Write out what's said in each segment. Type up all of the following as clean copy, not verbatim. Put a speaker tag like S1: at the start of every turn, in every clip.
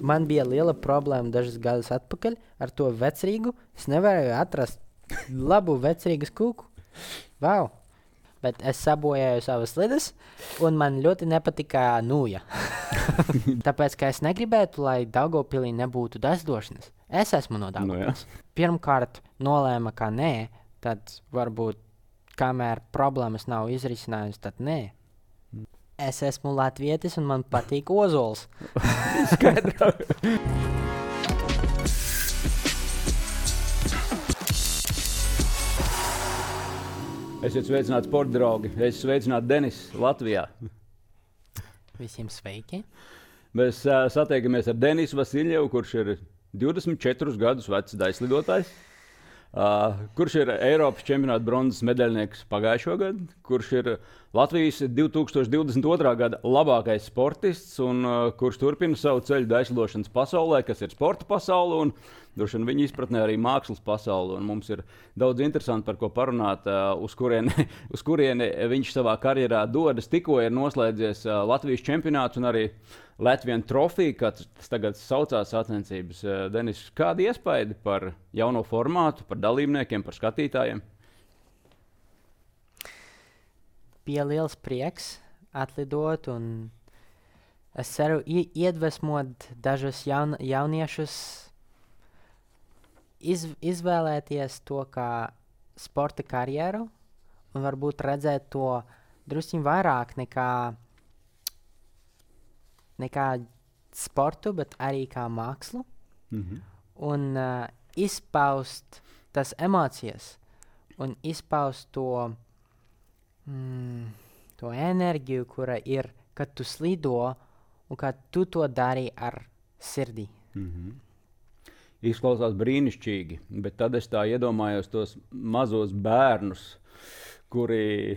S1: man bija liela problēma dažus gadus atpakaļ ar to vecrīgu. Es nevarēju atrast labu vecrīgas kūku. Wow! Bet es sabojāju savas slides, un man ļoti nepatika nūja. Tāpēc, ka es negribētu, lai Daugavpilī nebūtu dazdošanas. Es esmu no Daugavpils. Pirmkārt nolēma, ka nē, tad varbūt, kamēr problēmas nav izrisinājusi, tad nē. Es esmu latvietis, un man patīk ozols.
S2: Skaidrā. Esiet sveicināti sporta draugi. Es sveicinātu Denis Latvijā.
S1: Visiem sveiki.
S2: Mēs satiekamies ar Denisu Vasiljevu, kurš ir 24 gadus vecs daļslidotājs, kurš ir Eiropas čempionāta bronzas medaļnieks pagājušo gadu, kurš ir Latvijas 2022. Gada labākais sportists un kurš turpina savu ceļu daļslidošanas pasaulē, kas ir sporta pasaule un droši vien viņa izpratnē arī mākslas pasaule. Un mums ir daudz interesanti par ko parunāt, uz kurieni viņš savā karjerā dodas. Tikko ir noslēdzies Latvijas čempionāts un arī Latvian Trophy, kā tas tagad saucās sacensības. Denis, kādi iespaidi par jauno formātu, par dalībniekiem, par skatītājiem?
S1: Bija liels prieks atlidot, un es ceru iedvesmot dažus jauniešus izvēlēties to kā sporta karjeru un varbūt redzēt to drusciņ vairāk nekā sportu, bet arī kā mākslu. Un izpaust tas emocijas un izpaust to enerģiju, kura ir, kad tu slido un kad tu to dari ar sirdi.
S2: Izklausās brīnišķīgi, bet tad es tā iedomājos tos mazos bērnus, kuri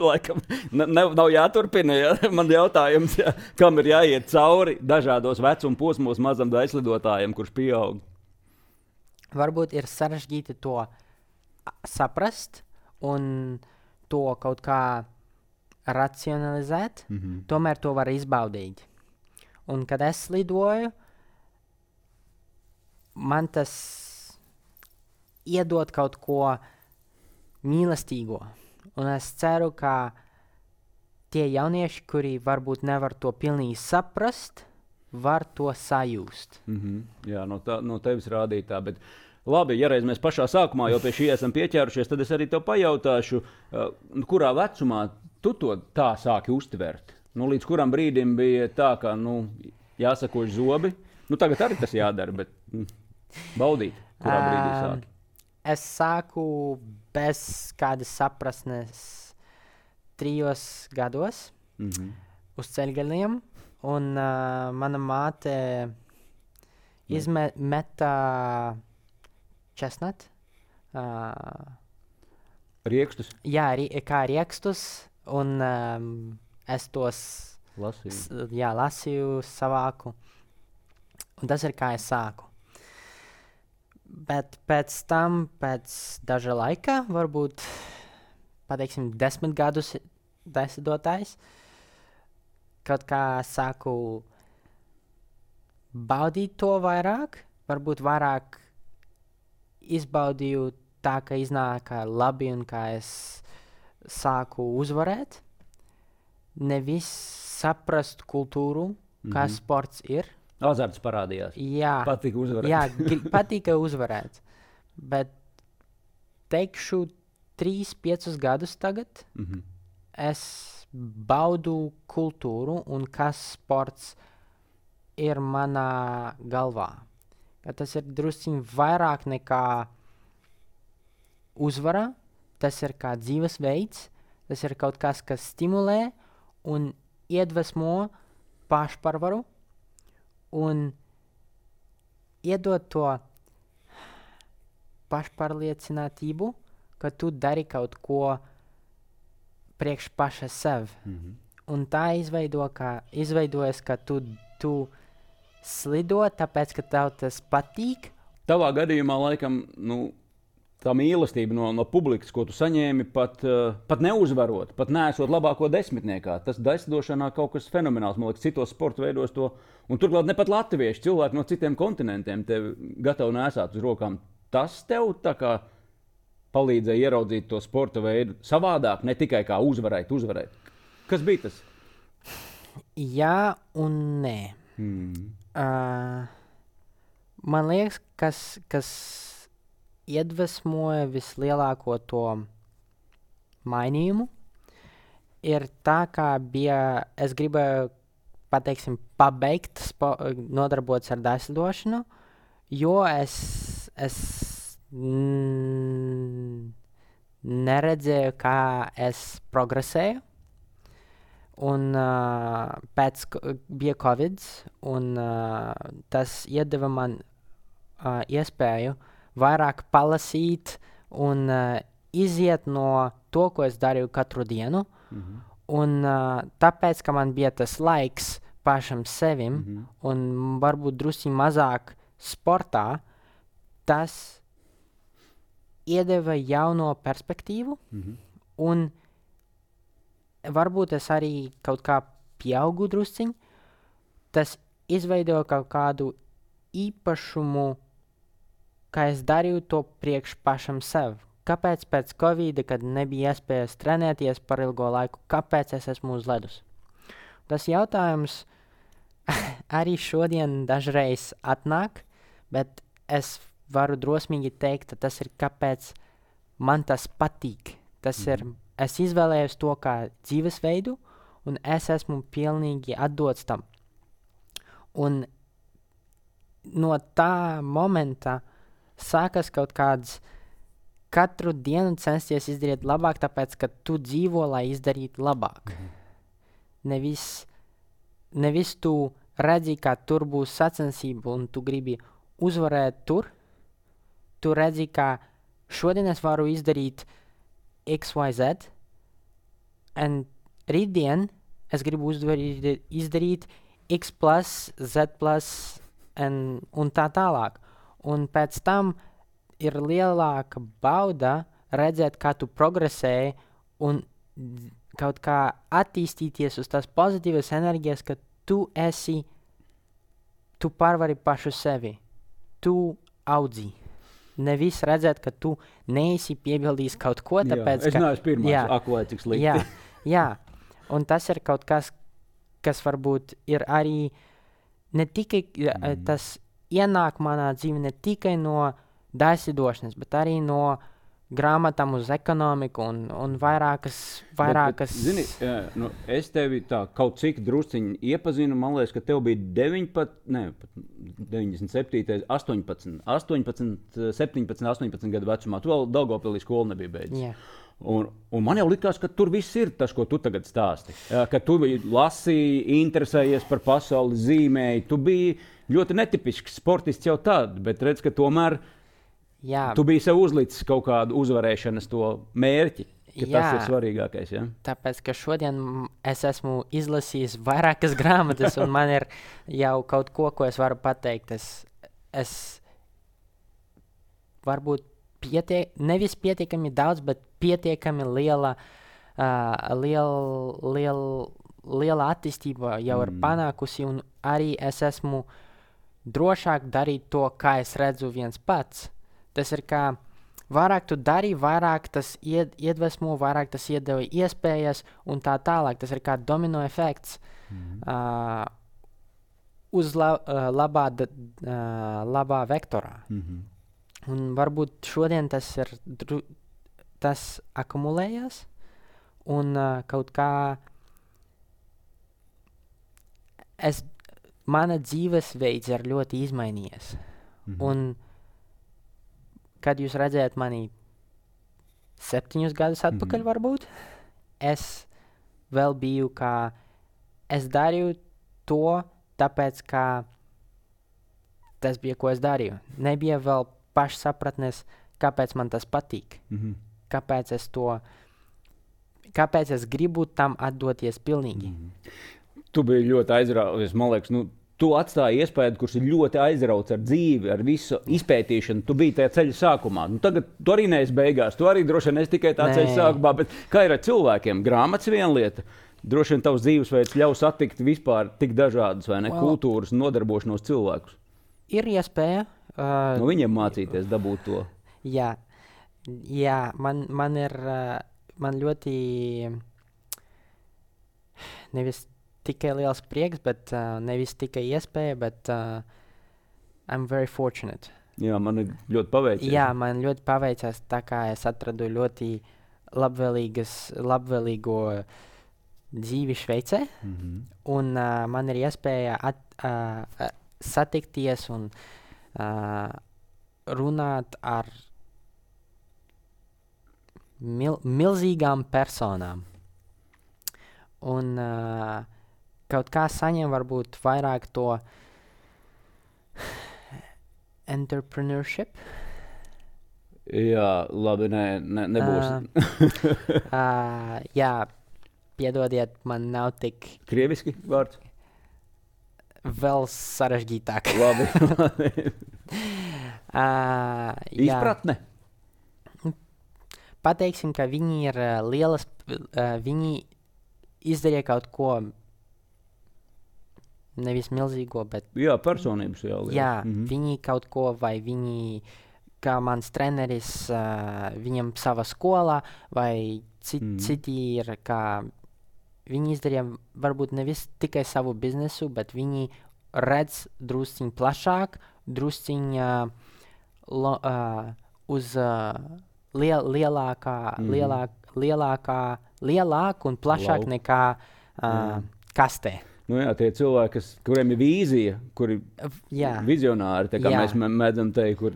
S2: laikam nav jāturpina. Ja? Man jautājums, kam ir jāiet cauri dažādos vecuma posmos mazam daļslidotājam, kurš pieaug?
S1: Varbūt ir sarežģīti to saprast un to kaut kā racionalizēt, tomēr to var izbaudīt. Un kad es slidoju, man tas iedod kaut ko mīlestīgo. Un es ceru, ka tie jaunieši, kuri varbūt nevar to pilnīgi saprast, var to sajust.
S2: Jā, no tevis rādītā, bet labi, ja reiz mēs pašā sākumā jau pie šī esam pieķērušies, tad es arī tev pajautāšu, kurā vecumā tu to tā sāki uztvert? Līdz kuram brīdim bija tā, ka jāsakož zobi? Tagad arī tas jādara, bet baudīt, kurā brīdī sāki?
S1: Es sāku bez kādas saprasnes 3 gados uz ceļgaliem, un mana māte izmeta česnat.
S2: Riekstus?
S1: Jā, kā riekstus, un es tos lasīju, savāku. Un tas ir kā es sāku. Bet pēc tam, pēc daža laika, varbūt, pateiksim, 10 gadus daļslidotājs, kaut kā sāku baudīt to vairāk, varbūt vairāk izbaudīju tā, ka iznāka labi un kā es sāku uzvarēt. Nevis saprast kultūru, kā sports ir.
S2: Azarts parādījās.
S1: Jā.
S2: Patika uzvarēt.
S1: Jā, patika uzvarēt. Bet teikšu 3-5 gadus tagad es baudu kultūru un kas sports ir manā galvā. Ka tas ir drusciņ vairāk nekā uzvara, tas ir kā dzīvesveids, tas ir kaut kas stimulē un iedvesmo pašpārvaru un iedod to pašpārliecinātību, ka tu dari kaut ko priekš paša sev. Un tā izveidojas, ka tu slido, tāpēc, ka tev tas patīk.
S2: Tavā gadījumā, laikam, tā mīlestība no publikas, ko tu saņēmi, pat neuzvarot, pat neesot labāko desmitniekā. Tas daislidošanā kaut kas fenomenāls, man liekas, citos sporta veidos to. Un turklāt ne pat latvieši, cilvēki no citiem kontinentiem tevi gatavi nesāt uz rokām. Tas tev tā kā palīdzēja ieraudzīt to sporta veidu savādāk, ne tikai kā uzvarēt. Kas bija tas?
S1: Jā un nē. Man liekas, kas iedvesmoja vislielāko to mainījumu, ir tā, kā bija, es gribēju, pateiksim, pabeigt nodarboties ar daislidošanu, jo es neredzēju, kā es progresēju. Un bija Covid, un tas iedeva man iespēju vairāk palasīt un iziet no to, ko es darīju katru dienu. Un tāpēc, ka man bija tas laiks pašam sevim un varbūt drusku mazāk sportā, tas iedeva jauno perspektīvu un varbūt es arī kaut kā pieaugu drusciņ, tas izveidoja kaut kādu īpašumu, kā es darīju to priekš pašam sev. Kāpēc pēc Covid, kad nebija iespējas trenēties par ilgo laiku, kāpēc es esmu uz ledus? Tas jautājums arī šodien dažreiz atnāk, bet es varu drosmīgi teikt, ka tas ir kāpēc man tas patīk. Tas ir es izvēlējos to kā dzīvesveidu, un es esmu pilnīgi atdots tam. Un no tā momenta sākas kaut kāds katru dienu censties izdarīt labāk, tāpēc, ka tu dzīvo, lai izdarītu labāk. Nevis tu redzi, ka tur būs sacensība, un tu gribi uzvarēt tur. Tu redzi, ka šodien es varu izdarīt XYZ, un rītdien es gribu izdarīt X plus, Z plus, un tā tālāk. Un pēc tam ir lielāka bauda redzēt, kā tu progresēji un kaut kā attīstīties uz tās pozitīvas enerģijas, ka tu pārvari pašu sevi. Tu audzi. Nevis redzēt, ka tu neesi piebildījis kaut ko, tāpēc,
S2: es neesmu pirmais, vai cik slikti.
S1: Jā, un tas ir kaut kas varbūt ir arī ne tikai, tas ienāk manā dzīve ne tikai no daislidošanas, bet arī no grāmatām uz ekonomiku un vairākas.
S2: Bet, zini, es tevi tā kaut cik drusciņi iepazinu, man liekas, ka tev bija 97, 18, 17, 18 gadu vecumā. Tu vēl Daugavpilī skolu nebija beidzis.
S1: Yeah.
S2: Un man jau likās, ka tur viss ir tas, ko tu tagad stāsti. Ka tu lasīji, interesējies par pasauli, zīmēji. Tu biji ļoti netipisks sportists jau tad, bet redz, ka tomēr tu biji sev uzlicis kaut kādu uzvarēšanas to mērķi. Tas ir svarīgākais. Ja?
S1: Tāpēc, ka šodien es esmu izlasījis vairākas grāmatas, un man ir jau kaut ko es varu pateikt. Es varbūt nevis pietiekami daudz, bet pietiekami liela attīstība jau ir panākusi, un arī es esmu drošāk darīt to, kā es redzu viens pats. Tas ir kā vairāk tu dari, vairāk tas iedvesmo, vairāk tas iedeva iespējas un tā tālāk. Tas ir kā domino efekts uz labā vektorā. Un varbūt šodien tas akumulējas un kaut kā mana dzīvesveids ir ļoti izmainījies. Un kad jūs redzējat mani 7 gadus atpakaļ, varbūt, es vēl biju, kā es darīju to, tāpēc, ka tas bija, ko es darīju. Nebija vēl pašsapratnes, kāpēc man tas patīk. Kāpēc es gribu tam atdoties pilnīgi.
S2: Tu biji ļoti aizraujošs. Man liekas, tu atstāji iespēju, kurš ir ļoti aizrauts ar dzīvi, ar visu izpētīšanu. Tu biji tajā ceļa sākumā. Nu, tagad tu arī neesi beigās. Tu arī droši vien esi tikai tā ceļa sākumā. Bet kā ir ar cilvēkiem? Grāmatas viena lieta. Droši vien tavs dzīvesveids ļaus satikt vispār tik dažādas vai ne kultūras un nodarbošanos cilvēkus.
S1: Ir iespēja.
S2: No viņiem mācīties, dabūt to.
S1: Jā, man ļoti nevis tikai liels prieks, bet nevis tikai iespēja, bet I'm very fortunate.
S2: Jā, man ir ļoti paveicies.
S1: Jā, man ļoti paveicās, tā kā es atradu ļoti labvēlīgo dzīvi Šveicē, un man ir iespēja satikties un runāt ar milzīgām personām. Un kaut kā saņem varbūt vairāk to entrepreneurship.
S2: Jā, labi, nebūs.
S1: Jā, piedodiet, man nav tik...
S2: Krieviski vārds?
S1: Vēl sarežģītāk.
S2: Labi.
S1: Izpratne? Pateiksim, ka viņi ir lielas... Viņi izdarīja kaut ko... Nevis milzīgo, bet...
S2: Jā, personības jau liela.
S1: Jā, viņi kaut ko, vai viņi, kā mans treneris, viņam savā skolā, vai citi ir, kā viņi izdarīja varbūt nevis tikai savu biznesu, bet viņi redz drusciņ plašāk, drusciņ uz lielāku un plašāk nekā kastē.
S2: Nu jā, tie cilvēki, kuriem ir vīzija, kuri vizionāri, tā kā mēs mēdzam teikt, kur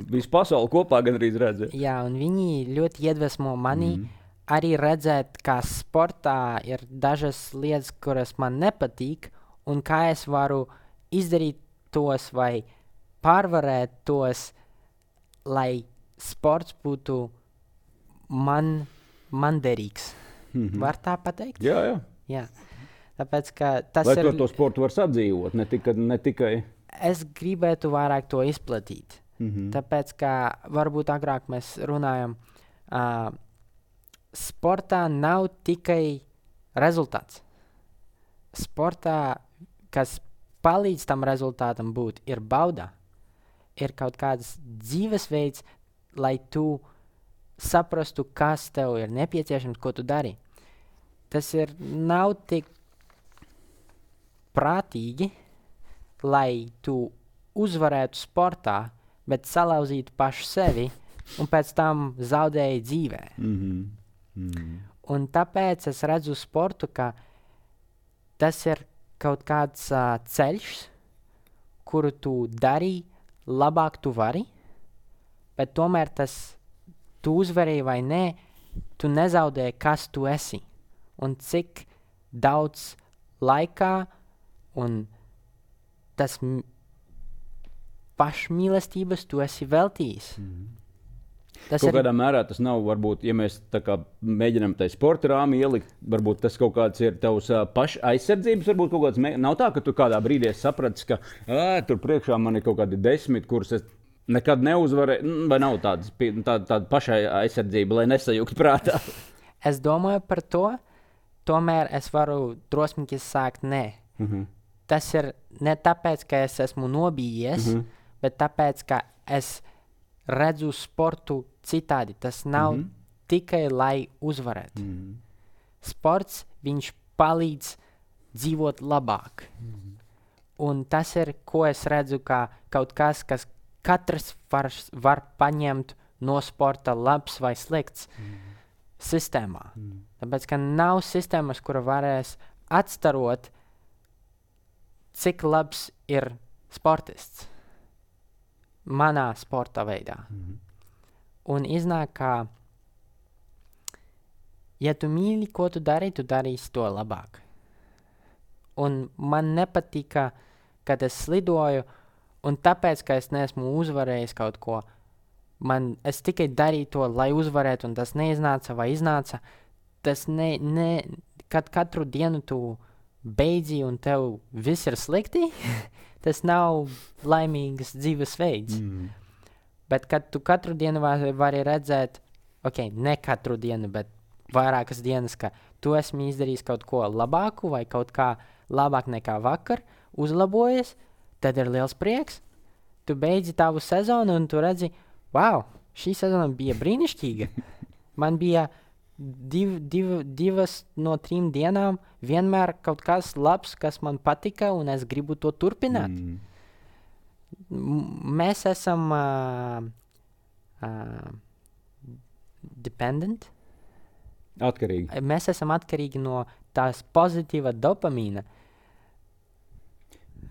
S2: visu pasauli kopā gandrīz redz.
S1: Jā, un viņi ļoti iedvesmo mani arī redzēt, kā sportā ir dažas lietas, kuras man nepatīk, un kā es varu izdarīt tos vai pārvarēt tos, lai sports būtu man derīgs. Var tā pateikt? Jā. Tāpēc, ka tas
S2: lai to sportu var sadzīvot, ne tikai...
S1: Es gribētu vairāk to izplatīt. Tāpēc, ka varbūt agrāk mēs runājam, sportā nav tikai rezultāts. Sportā, kas palīdz tam rezultātam būt, ir bauda. Ir kaut kāds dzīvesveids, lai tu saprastu, kas tev ir nepieciešams, ko tu dari. Tas nav tik prātīgi, lai tu uzvarētu sportā, bet salauzītu pašu sevi un pēc tam zaudēji dzīvē. Un tāpēc es redzu sportu, ka tas ir kaut kāds ceļš, kuru tu dari, labāk tu vari, bet tomēr tu uzvarēji vai nē, tu nezaudēji, kas tu esi un cik daudz laikā un tas pašmīlestības tu esi veltījis.
S2: Kaut kādā mērā tas nav, varbūt, ja mēs tā kā mēģinām tai sporta rāmi ielikt, varbūt tas kaut kāds ir tavs aizsardzības, varbūt kaut kāds, nav tā, ka tu kādā brīdī sapratis, ka tur priekšā man ir kaut kādi 10, kurus es nekad neuzvarēju, vai nav tāda pašai aizsardzība, lai nesajūgt prātā?
S1: Es domāju par to, tomēr es varu drosmīgi sākt nē. Tas ir ne tāpēc, ka es esmu nobijies, bet tāpēc, ka es redzu sportu citādi. Tas nav tikai, lai uzvarētu. Sports, viņš palīdz dzīvot labāk. Un tas ir, ko es redzu, kā kaut kas, kas katrs var paņemt no sporta labs vai slikts sistēmā. Tāpēc, ka nav sistēmas, kura varēs atstarot, cik labs ir sportists manā sporta veidā. Un iznāk, ka ja tu mīli, ko tu darīsi to labāk. Un man nepatika, kad es slidoju, un tāpēc, ka es neesmu uzvarējis kaut ko, es tikai darīju to, lai uzvarētu, un tas neiznāca vai iznāca, tas kad katru dienu tu beidzi un tev viss ir slikti, tas nav laimīgs dzīvesveids. Bet kad tu katru dienu vari redzēt, ne katru dienu, bet vairākas dienas, ka tu esmi izdarījis kaut ko labāku vai kaut kā labāk nekā vakar, uzlabojies, tad ir liels prieks. Tu beidzi tavu sezonu un tu redzi, wow, šī sezona bija brīnišķīga. Man bija 2 no 3 dienām vienmēr kaut kas labs, kas man patika, un es gribu to turpināt. Mēs esam dependent.
S2: Atkarīgi.
S1: Mēs esam atkarīgi no tās pozitīva dopamīna.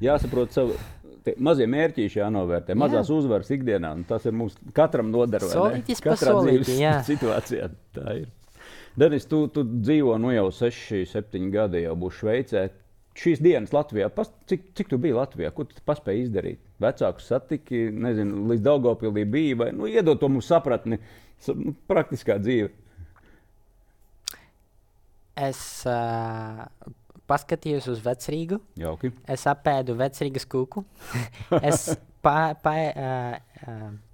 S2: Jāsaprot savu mazie mērķīši jānovērtē, mazās uzvaras ikdienā, un tas ir mums katram nodara,
S1: solītis pa solīti, jā.
S2: Situācijā tā ir. Denis, tu dzīvo jau 6-7 gadi, jau būs Šveicē. Šīs dienas Latvijā, cik tu biji Latvijā? Ko tu paspēji izdarīt? Vecākus satiki, nezinu, līdz Daugavpilī bija, vai iedod to mums sapratni, praktiskā dzīve?
S1: Es paskatījos uz Vecrīgu.
S2: Jauki.
S1: Es apēdu Vecrīgas kūku. Es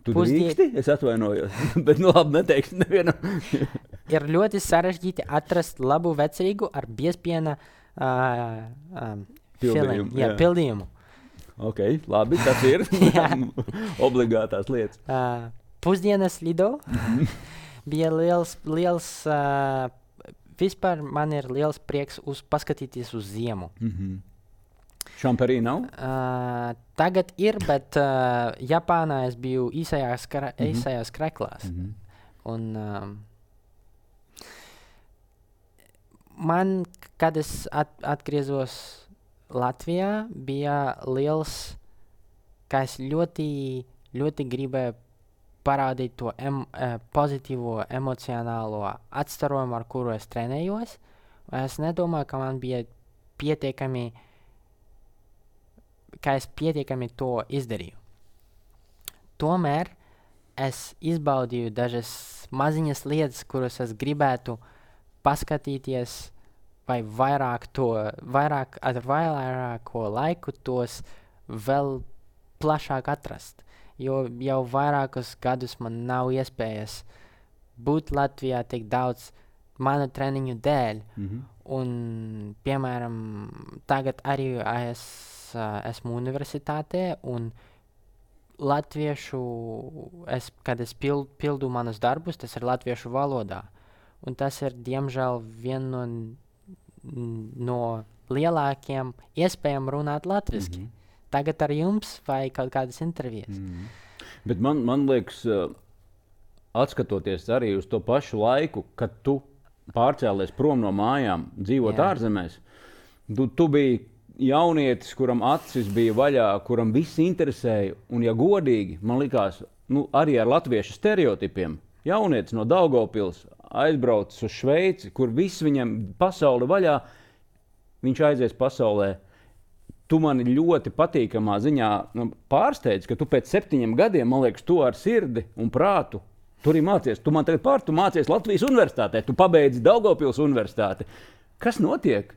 S2: Tu drīksti? Es atvainojos, bet labi neteikšu nevienam.
S1: Ir ļoti sarežģīti atrast labu Vecrīgu ar biezpiena pildījumu.
S2: Ok, labi, tas ir obligātās lietas.
S1: Pusdienas lido bija liels vispār man ir liels prieks paskatīties uz ziemu.
S2: Šamperī nav?
S1: Tagad ir, bet Japānā es biju īsajās kreklās. Un man, kad es atgriezos Latvijā, bija liels, ka es ļoti, ļoti gribēju parādīt to pozitīvo emocionālo atstarojumu, ar kuru es trenējos. Es nedomāju, ka man bija pietiekami, ka es pietiekami to izdarīju. Tomēr es izbaudīju dažas maziņas lietas, kuras es gribētu paskatīties vai ar vairāko laiku tos vēl plašāk atrast. Jo jau vairākus gadus man nav iespējas būt Latvijā tik daudz manu treniņu dēļ. Un, piemēram, tagad arī esmu universitātē un kad es pildu manus darbus, tas ir latviešu valodā. Un tas ir, diemžēl, viena no lielākiem iespējām runāt latviski. Tagad ar jums vai kaut kādas intervijas.
S2: Bet man liekas, atskatoties arī uz to pašu laiku, kad tu pārcēlies prom no mājām, dzīvot ārzemēs, tu biji jaunietis, kuram acis bija vaļā, kuram viss interesēja, un ja godīgi, man likās, arī ar latviešu stereotipiem, jaunietis no Daugavpils aizbraucis uz Šveici, kur viss viņam pasauli vaļā, viņš aizies pasaulē. Tu mani ļoti patīkamā ziņā pārsteidz, ka tu pēc 7 gadiem, man liekas, tu ar sirdi un prātu tur arī mācies. Tu man tagad tu mācies Latvijas universitātē, tu pabeidzi Daugavpils universitāti. Kas notiek?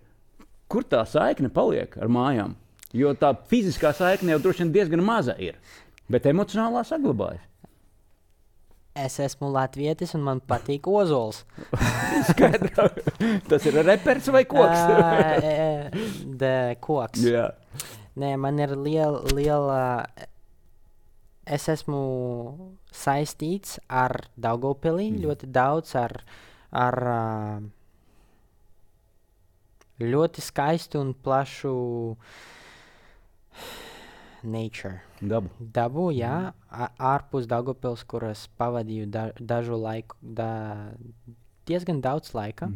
S2: Kur tā saikne paliek ar mājām? Jo tā fiziskā saikne jau droši vien diezgan maza ir, bet emocionālā saglabājas.
S1: Es esmu latvietis un man patīk ozols.
S2: Skaidrā. Tas ir repers vai koks?
S1: Koks.
S2: Jā.
S1: Nē, man ir liela... Es esmu saistīts ar Daugavpilī ļoti daudz, ar ļoti skaistu un plašu nature. Dabu, jā. Ārpus Daugavpils, kuras pavadīju dažu laiku, diezgan daudz laika.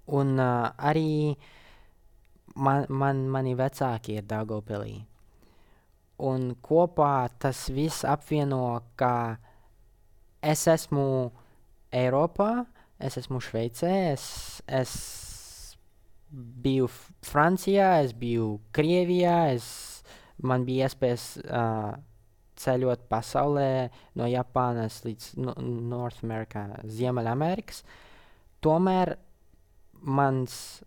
S1: Un arī mani vecāki ir Daugavpilī. Un kopā tas viss apvieno, ka es esmu Eiropā, es esmu Šveicē, es biju Francijā, es biju Krievijā, man bija iespējas ceļot pasaulē no Japānas līdz North America, Ziemeļamerikas. Tomēr mans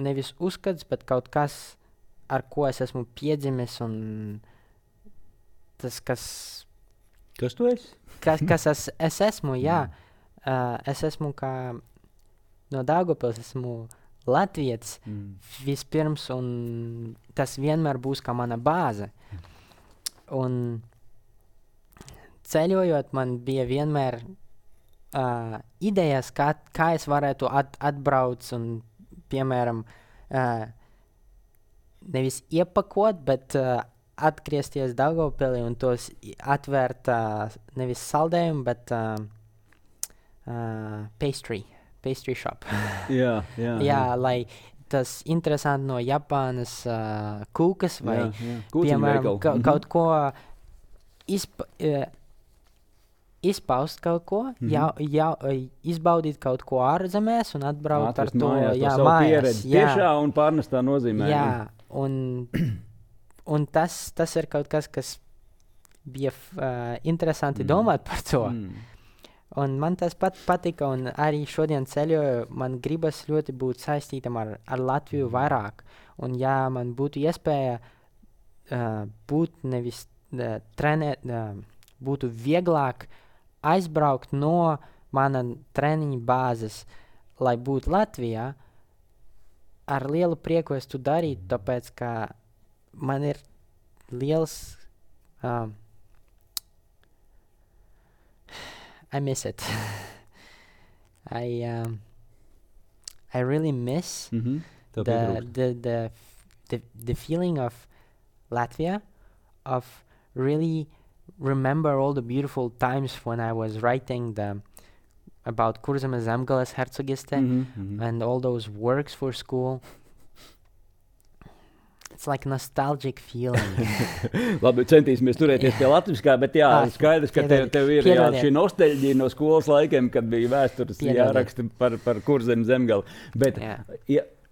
S1: nevis uzskats, bet kaut kas, ar ko es esmu piedzimis, un tas, kas
S2: tu esi?
S1: kas es esmu, jā. Es esmu kā no Daugavpils, esmu latvietis vispirms, un tas vienmēr būs kā mana bāze. Un ceļojot, man bija vienmēr idejas, kā es varētu atbraukt un, piemēram, nevis iepakot, bet atgriezties Daugavpilī un tos atvērt nevis saldējumu, bet pastry shop. Jā, lai tas interesanti no Japānas kūkas vai, piemēram, kaut ko izpaust kaut ko, izbaudīt kaut ko ārzemēs un atbraukt ar to
S2: mājās. Tiešā un pārnestā nozīmē.
S1: Jā, un tas ir kaut kas bija interesanti domāt par to. Un man tas patika, un arī šodien ceļoju, man gribas ļoti būt saistītam ar Latviju vairāk. Un ja man būtu iespēja būt nevis trenēt, būtu vieglāk aizbraukt no mana treniņa bāzes, lai būtu Latvijā, ar lielu prieku es to darītu, tāpēc, ka man ir liels I miss it. I really miss the feeling of Latvia, of really remember all the beautiful times when I was writing about Kurzemes Zemgales Hercogiste and all those works for school. It's like nostalgic feeling.
S2: Labi, centīsimies turēties pie latviskā, bet jā, skaidrs, ka tev ir šī nostalģija no skolas laikiem, kad bija vēstures jāraksta par Kurzemi Zemgali. Bet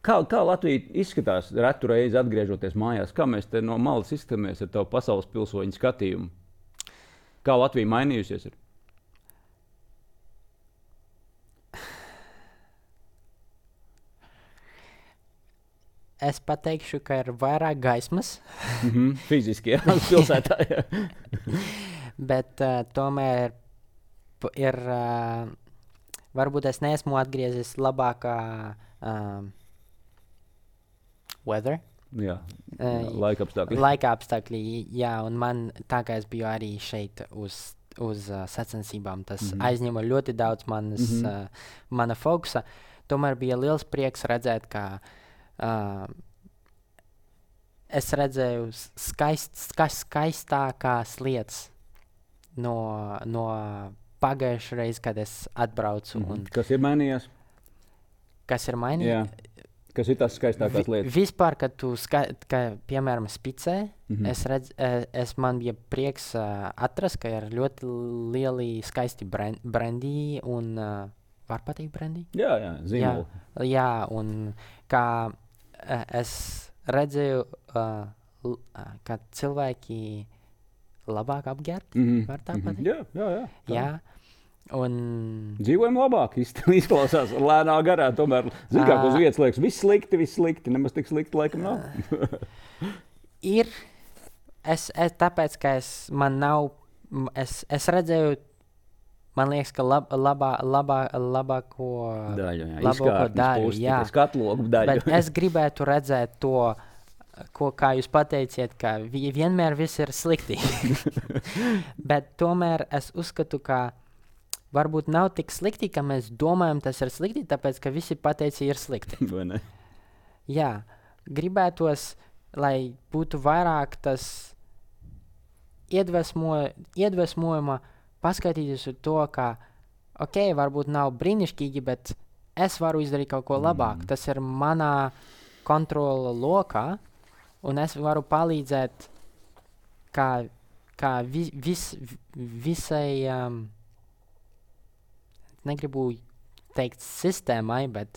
S2: kā Latvija izskatās retu reizi atgriežoties mājās? Kā mēs te no malas izskatāmies ar tavu pasaules pilsoņu skatījumu? Kā Latvija mainījusies ir?
S1: Es pateikšu, ka ir vairāk gaismas.
S2: Fiziski, jā, pilsētā, jā.
S1: Bet tomēr ir, varbūt es neesmu atgriezis labākā weather.
S2: Jā, laika apstākļi.
S1: Laika apstākļi, jā, un man tā kā es biju arī šeit uz sacensībām, tas aizņēma ļoti daudz mana fokusa. Tomēr bija liels prieks redzēt, ka es redzēju skaistākās lietas no pagājušā reize, kad es atbraucu.
S2: Kas ir mainījies?
S1: Kas ir mainījies?
S2: Jā. Kas ir tās skaistākās lietas?
S1: Vispār, kad piemēram, spicē, man bija prieks atrast, ka ir ļoti lieli skaisti brandī un var pateikt brandī?
S2: Jā, zīmoli.
S1: Jā, un kā es redzēju, ka cilvēki labāk apģērbt, var tā pateikt? Jā. Un
S2: dzīvojam labāk, izklausās lēnā garā, tomēr, kā uz vietas liekas, viss slikti, nemaz tik slikti laikam nav.
S1: Ir, tāpēc, ka es redzēju, man liekas, ka labāko daļu, jā.
S2: Skatlogu daļu.
S1: Bet es gribētu redzēt to, kā jūs pateiciet, ka vienmēr viss ir slikti. Bet tomēr es uzskatu, ka varbūt nav tik slikti, ka mēs domājam, tas ir slikti, tāpēc, ka visi pateici ir slikti.
S2: Vai ne?
S1: Jā, gribētos, lai būtu vairāk tas iedvesmojuma, paskatīties uz to, ka, varbūt nav brīnišķīgi, bet es varu izdarīt kaut ko labāk. Tas ir manā kontrola lokā, un es varu palīdzēt, kā visai, negribu teikt sistēmai, bet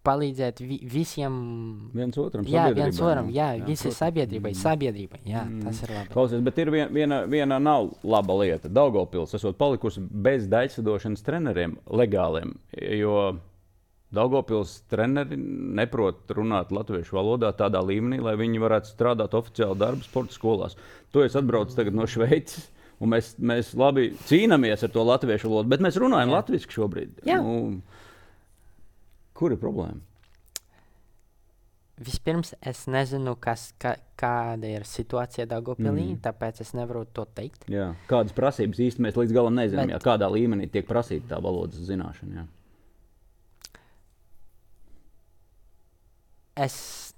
S1: palīdzēt visiem.
S2: Viens otram,
S1: visai sabiedrībai, tas ir labi.
S2: Klausies, bet ir viena nav laba lieta. Daugavpils esot palikusi bez daļsadošanas treneriem legāliem, jo Daugavpils treneri neprot runāt latviešu valodā tādā līmenī, lai viņi varētu strādāt oficiāli darbu sporta skolās. Tu esi atbraucis tagad no Šveices, un mēs labi cīnāmies ar to latviešu valodu, bet mēs runājam latviski šobrīd. Kur ir problēma?
S1: Vispirms es nezinu, kāda ir situācija Daugavpilī, tāpēc es nevaru to teikt.
S2: Jā. Kādas prasības īsti mēs līdz galam nezinām, kādā līmenī tiek prasīta tā valodas zināšana. Jā.
S1: Es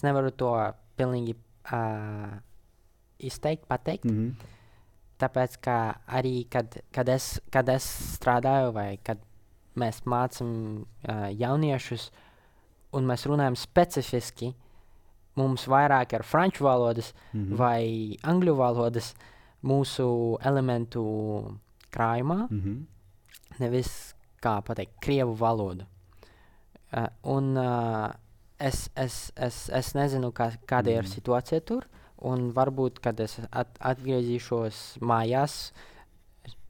S1: nevaru to pilnīgi pateikt. Tāpēc, ka arī, kad es strādāju vai kad mēs mācām jauniešus un mēs runājam specifiski, mums vairāk ir franču valodas vai angļu valodas mūsu elementu krājumā, nevis, kā pateikt, krievu valodu. Es nezinu, kāda ir situācija tur, un varbūt, kad es atgriezīšos mājās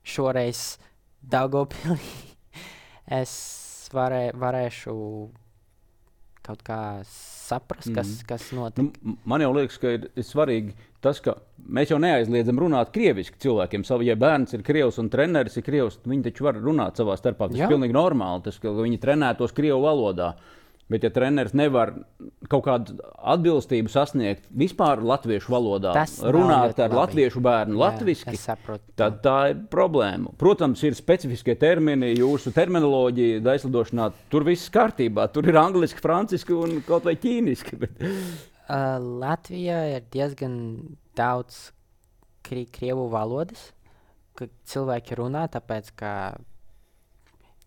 S1: šoreiz Daugavpilī, es varēšu kaut kā saprast, kas notiek.
S2: Man jau liekas, ka ir svarīgi tas, ka mēs jau neaizliedzam runāt krieviski cilvēkiem. Ja bērns ir krievs un treneris ir krievs, viņi taču var runāt savā starpā. Tas ir pilnīgi normāli, ka viņi trenētos krievu valodā. Bet ja treneris nevar kaut kādu atbilstību sasniegt vispār latviešu valodā, runāt ar latviešu bērnu latviski, tad tā ir problēma. Protams, ir specifiskie termini, jūsu terminoloģija daislidošanā, tur viss kārtībā. Tur ir angliski, franciski un kaut vai ķīniski.
S1: Latvijā ir diezgan daudz krievu valodas, ka cilvēki runā, tāpēc, ka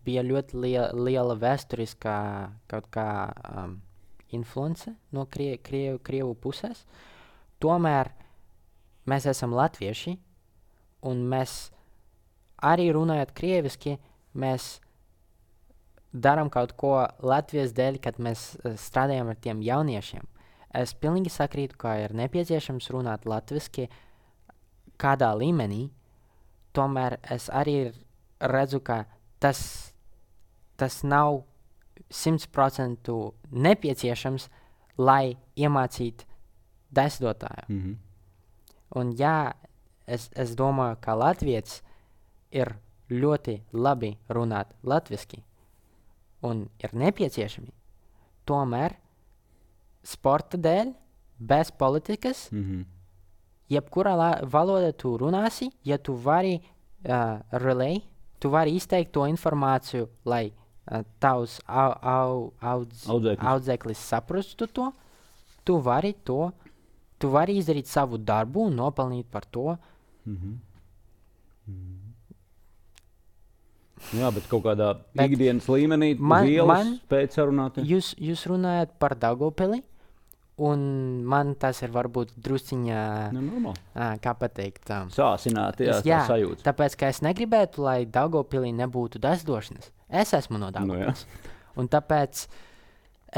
S1: bija ļoti liela vēsturiskā kaut kā influence no krievu puses. Tomēr mēs esam latvieši, un mēs arī runājot krieviski, mēs darām kaut ko Latvijas dēļ, kad mēs strādājam ar tiem jauniešiem. Es pilnīgi sakrītu, ka ir nepieciešams runāt latviski kādā līmenī, tomēr es arī redzu, ka tas nav 100% nepieciešams, lai iemācītu daislidotāju. Un es domāju, ka latvietis ir ļoti labi runāt latviski un ir nepieciešami. Tomēr sporta dēļ, bez politikas, jebkurā valodā tu runāsi, ja tu vari relay, tu vari izteikt to informāciju, lai tavs audzēklis saprastu to, tu vari izdarīt savu darbu un nopelnīt par to.
S2: Jā, bet kaut kādā ikdienas līmenī spēt sarunāt.
S1: Jūs runājat par Daugavpili, un man tas ir varbūt drusciņā, kā pateikt,
S2: sāsināti, tā sajūta.
S1: Tāpēc, ka es negribētu, lai Daugavpilī nebūtu daislidošanas. Es esmu no Daugavpils. Un tāpēc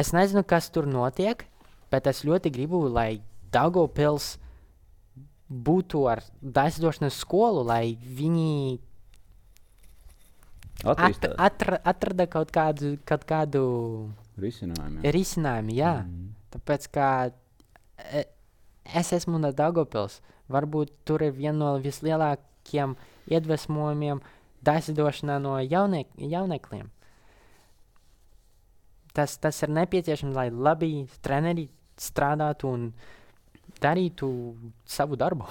S1: es nezinu, kas tur notiek, bet es ļoti gribu, lai Daugavpils būtu ar daislidošanas skolu, lai viņi atrada kaut kādu risinājumu, jā. Tāpēc, ka es esmu no Daugavpils. Varbūt tur ir viena no vislielākajiem iedvesmojumiem daislidošanā no jaunekļiem. Tas ir nepieciešams, lai labi treneri strādātu un darītu savu darbu.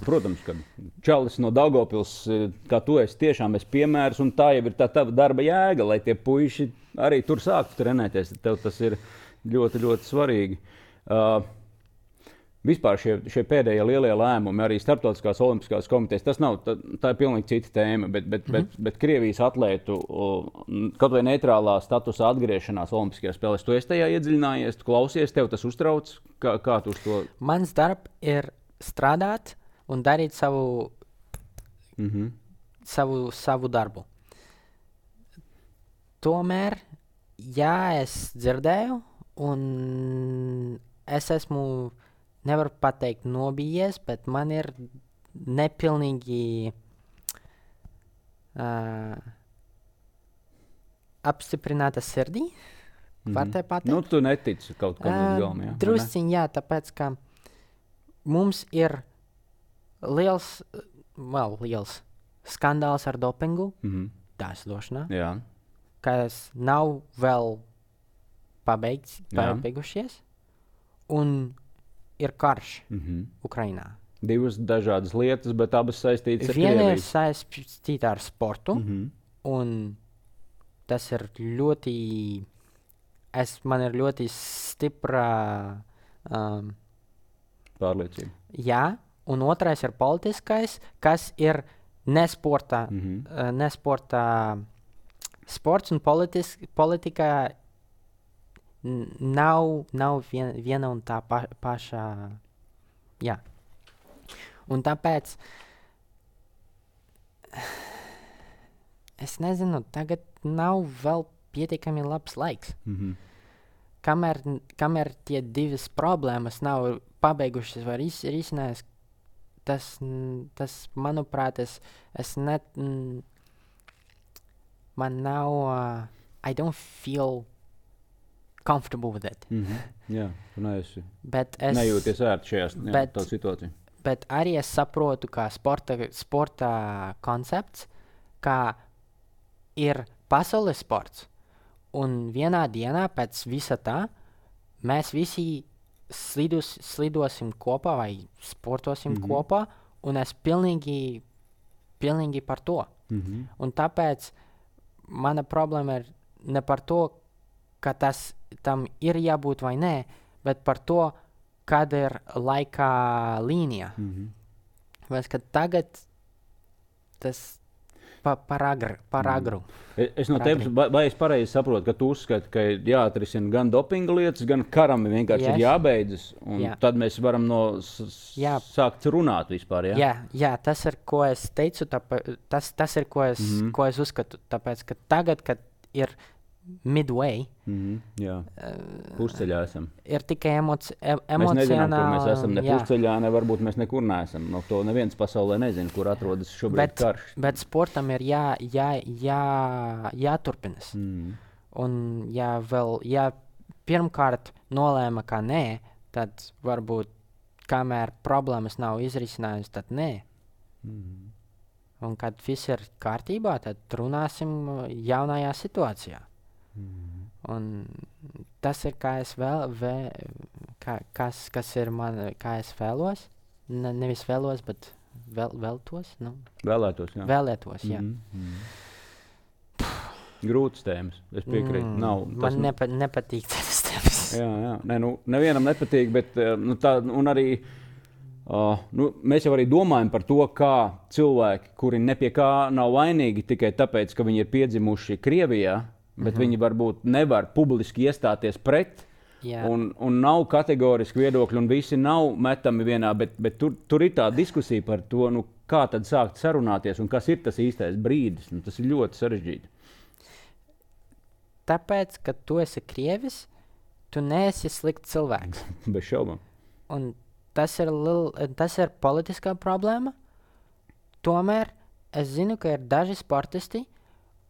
S2: Protams, ka čalis no Daugavpils, kā tu esi, tiešām esi piemērs, un tā jau ir tā tava darba jēga, lai tie puiši arī tur sāktu trenēties. Tev tas ir ļoti, ļoti svarīgi. Vispār šie pēdējie lielie lēmumi, arī Starptautiskās olimpiskās komitejas, tā ir pilnīgi cita tēma, bet Krievijas atlētu kaut vai neitrālā statusa atgriešanās olimpiskajās spēlēs, tu esi tajā iedziļinājies, tu klausies, tev tas uztrauc, kā tu uz to?
S1: Mans darbs ir strādāt un darīt savu darbu. Tomēr, jā, es dzirdēju, un es esmu, nevaru pateikt nobijies, bet man ir nepilnīgi apstiprināta sirdī. Var te pateikt?
S2: Nu, tu netici kaut kam līdz galam, jā?
S1: Drusciņ, jā, tāpēc, ka mums ir liels skandāls ar dopingu dāsdošanā, kas nav vēl pabeigušies, un ir karš Ukrainā.
S2: Divas dažādas lietas, bet abas saistītas ar Krieviju.
S1: Viena ir saistīta ar sportu, un tas ir ļoti, man ir ļoti stipra
S2: pārliecība.
S1: Jā, un otrais ir politiskais, kas ir nesporta, sports un politika nav viena un tā paša, jā. Un tāpēc, es nezinu, tagad nav vēl pietiekami labs laiks. Kamēr tie divas problēmas nav pabeigušas vai risinājās, tas, manuprāt, man nav, I don't feel comfortable with it.
S2: Jā, tu nejūties ērti šajā tā situācijā.
S1: Bet arī es saprotu, kā sporta koncepts, kā ir pasaules sports. Un vienā dienā pēc visa tā mēs visi slidosim kopā vai sportosim kopā, un es pilnīgi par to. Un tāpēc mana problēma ir ne par to, ka tam ir jābūt vai nē, bet par to, kāda ir laika līnija. Vai ka tagad tas par agru.
S2: Es no tevis, vai es pareizi saprotu, ka tu uzskati, ka jāatrisina gan dopinga lietas, gan karam vienkārši ir jābeidzas, un tad mēs varam sākt runāt vispār, jā?
S1: Jā, tas ir, ko es teicu, tas ir, ko es uzskatu, tāpēc, ka tagad, kad ir midway,
S2: pusceļā esam.
S1: Ir tikai emocionāli.
S2: Mēs nezinām, kur mēs esam, ne pusceļā, ne varbūt mēs nekur neesam. No to neviens pasaulē nezina, kur atrodas šobrīd karš.
S1: Bet sportam ir jāturpinas. Un ja pirmkārt nolēma, ka nē, tad varbūt kamēr problēmas nav izrisinājusi, tad nē. Un kad viss ir kārtībā, tad runāsim jaunajā situācijā. Un tas ir, kā es kas ir man, kā es vēlos, nevis vēlos, bet vēlētos, nu? Vēlētos, jā.
S2: Grūtas tēmas, es piekrītu.
S1: Man nepatīk tas tēmas.
S2: Jā, nevienam nepatīk, bet un arī mēs jau arī domājam par to, kā cilvēki, kuri ne pie kā nav vainīgi tikai tāpēc, ka viņi ir piedzimuši Krievijā, bet viņi varbūt nevar publiski iestāties pret, un nav kategoriski viedokļi, un visi nav metami vienā, bet tur ir tā diskusija par to, kā tad sākt sarunāties, un kas ir tas īstais brīdis. Tas ir ļoti sarežģīti.
S1: Tāpēc, ka tu esi Krievis, tu neesi slikts cilvēks.
S2: Bez šaubām.
S1: Un tas ir politiskā problēma. Tomēr es zinu, ka ir daži sportisti,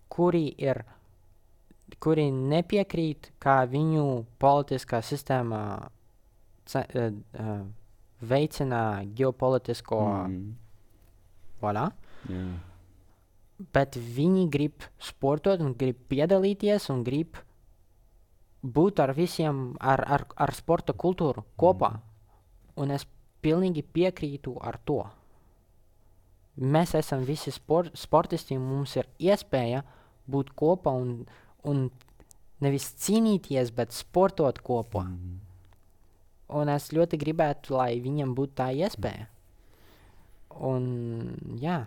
S1: kuri nepiekrīt, kā viņu politiskā sistēma veicina ģeopolitisko voilà. Bet viņi grib sportot un grib piedalīties un grib būt ar visiem, ar sporta kultūru kopā. Un es pilnīgi piekrītu ar to. Mēs esam visi sportisti, mums ir iespēja būt kopā un nevis cīnīties, bet sportot kopā. Un es ļoti gribētu, lai viņam būtu tā iespēja. Un jā.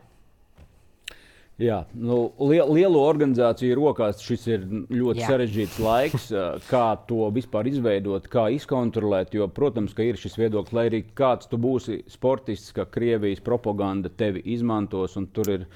S2: Jā, lielu organizāciju rokās šis ir ļoti sarežģīts laiks, kā to vispār izveidot, kā izkontrolēt, jo, protams, ka ir šis viedoklis, lai arī kāds tu būsi sportists, ka Krievijas propaganda tevi izmantos, un tur ir,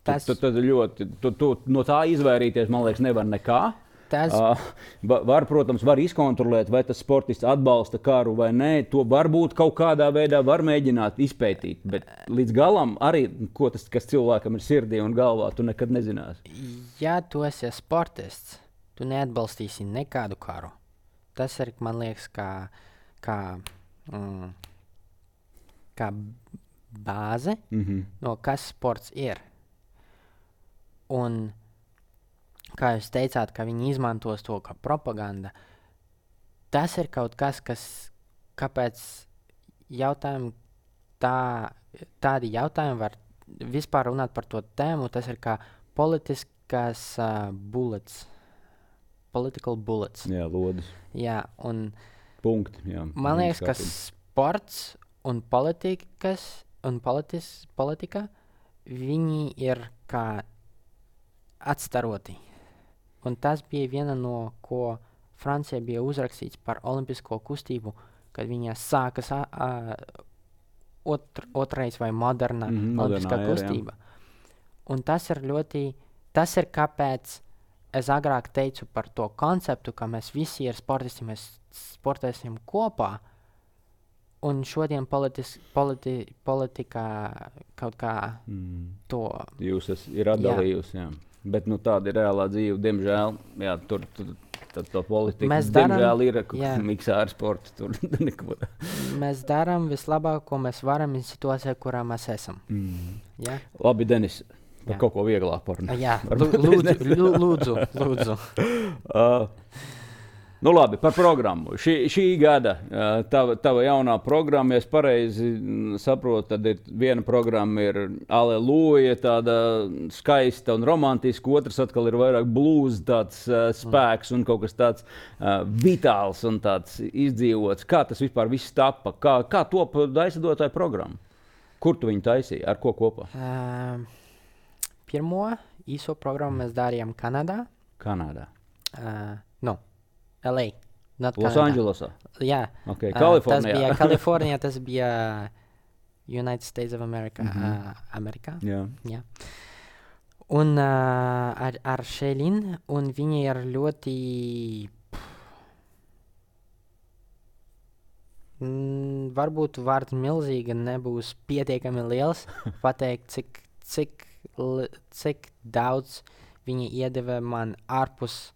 S2: tad ļoti, tu no tā izvairīties, man liekas, nevar nekā. Protams, var izkontrolēt, vai tas sportists atbalsta karu vai nē. To varbūt kaut kādā veidā var mēģināt izpētīt, bet līdz galam arī, kas cilvēkam ir sirdī un galvā, tu nekad nezināsi.
S1: Ja tu esi sportists, tu neatbalstīsi nekādu karu. Tas ir, man liekas, kā bāze, no kas sports ir. Un, kā jūs teicāt, ka viņi izmantos to kā propaganda, tas ir kaut kas, kāpēc tādi jautājumi var vispār runāt par to tēmu, tas ir kā politiskas bullets. Political bullets.
S2: Jā, lodes.
S1: Jā, un
S2: punkti. Jā,
S1: man liekas, ka sports un politika, viņi ir kā atstaroti. Un tas bija viena no, ko Francija bija uzrakstīts par olimpisko kustību, kad viņa sākas otrais vai moderna olimpiskā kustība. Un tas ir kāpēc es agrāk teicu par to konceptu, ka mēs visi ir sportisti, mēs sportēsim kopā, un šodien politikā kaut kā to...
S2: Jūs ir atdalījusi, jā. Bet tāda ir reālā dzīve, diemžēl, jā, tur to politiku, diemžēl ir miksāra sports, tur neko.
S1: Mēs darām vislabāk, ko mēs varam in situācijā, kurā mēs esam. Ja?
S2: Labi, Denis, par kaut ko vieglāk parunāt.
S1: Jā, lūdzu.
S2: Labi, par programmu. Šī gada tava jaunā programma, ja es pareizi saprotu, tad ir viena programma ir Aleluja, tāda skaista un romantiska, otrs atkal ir vairāk blues, tāds spēks un kaut kas tāds vitāls un tāds izdzīvots. Kā tas vispār viss tapa? Kā top aizsadotāja programma? Kur tu viņu taisīji? Ar ko kopā?
S1: Pirmo īso programmu mēs darījām Kanādā. LA.
S2: Los Andželosā?
S1: Jā.
S2: Okay, Kalifornijā.
S1: Tas bija Kalifornijā, tas bija United States of America. Amerikā.
S2: Jā.
S1: Un ar Šēlin, un viņi ir ļoti... varbūt vārds milzīga nebūs pietiekami liels pateikt, cik daudz viņi iedeva man ārpus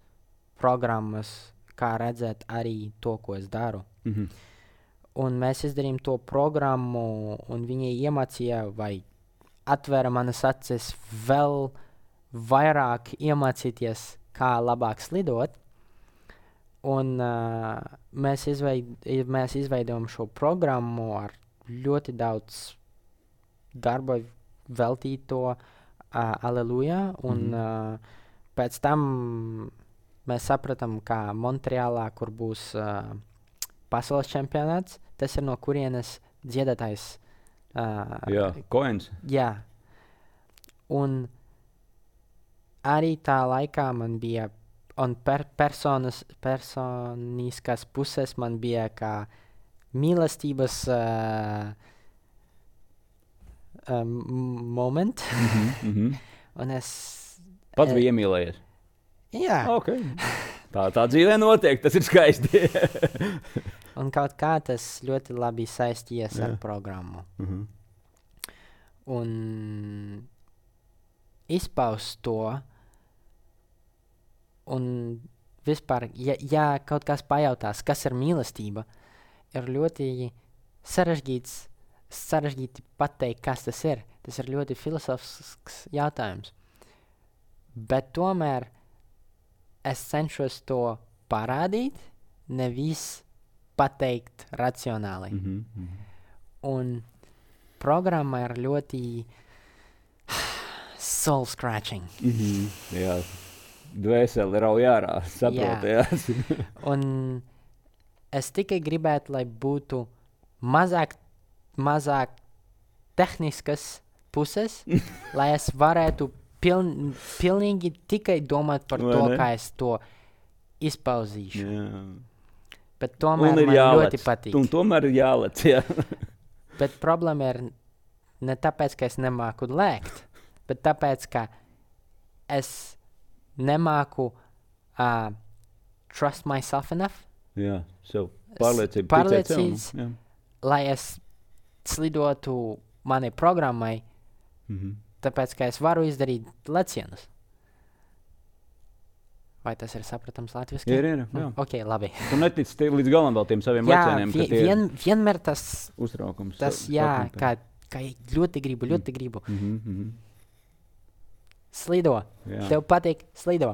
S1: programmas, kā redzēt arī to, ko es daru. Un mēs izdarījām to programmu, un viņi iemācīja vai atvēra manas acis vēl vairāk iemācīties, kā labāk slidot. Un mēs izveidojam šo programmu ar ļoti daudz darba veltīto Aleluja, un pēc tam mēs sapratām, ka Montreālā, kur būs pasaules čempionāts, tas ir no kurienes dziedātājs.
S2: Coins.
S1: Jā. Un arī tā laikā man bija, un personiskās puses man bija kā mīlestības moment. Un es...
S2: Pats bija iemīlējies?
S1: Jā.
S2: Okay. Tā dzīvē notiek, tas ir skaisti.
S1: Un kaut kā tas ļoti labi saistījies ar programmu. Un izpaust to, un vispār, ja kaut kas pajautās, kas ir mīlestība, ir ļoti sarežģīti pateikt, kas tas ir. Tas ir ļoti filosofisks jautājums. Bet tomēr es cenšos to parādīt, nevis pateikt racionāli. Un programma ir ļoti soul scratching.
S2: Jā, dvēseli rauj ārā, saprotējās.
S1: Un es tikai gribētu, lai būtu mazāk tehniskas puses, lai es varētu pilnīgi tikai domāt par to, kā es to izpauzīšu. Bet tomēr man ļoti patīk.
S2: Un tomēr ir jālec, jā.
S1: Bet problēma ir ne tāpēc, ka es nemāku lēkt, bet tāpēc, ka es nemāku trust myself enough.
S2: Jā, sev pārliecības,
S1: lai es slidotu manai programmai, tāpēc, ka es varu izdarīt lecienus. Vai tas ir sapratams latviski?
S2: Ir.
S1: Ok, labi.
S2: Tu netici līdz galam vēl tiem saviem lecieniem, ka tie ir
S1: vienmēr tas
S2: uztraukums.
S1: Jā, kā ļoti gribu. Slido.
S2: Jā.
S1: Tev patīk slido.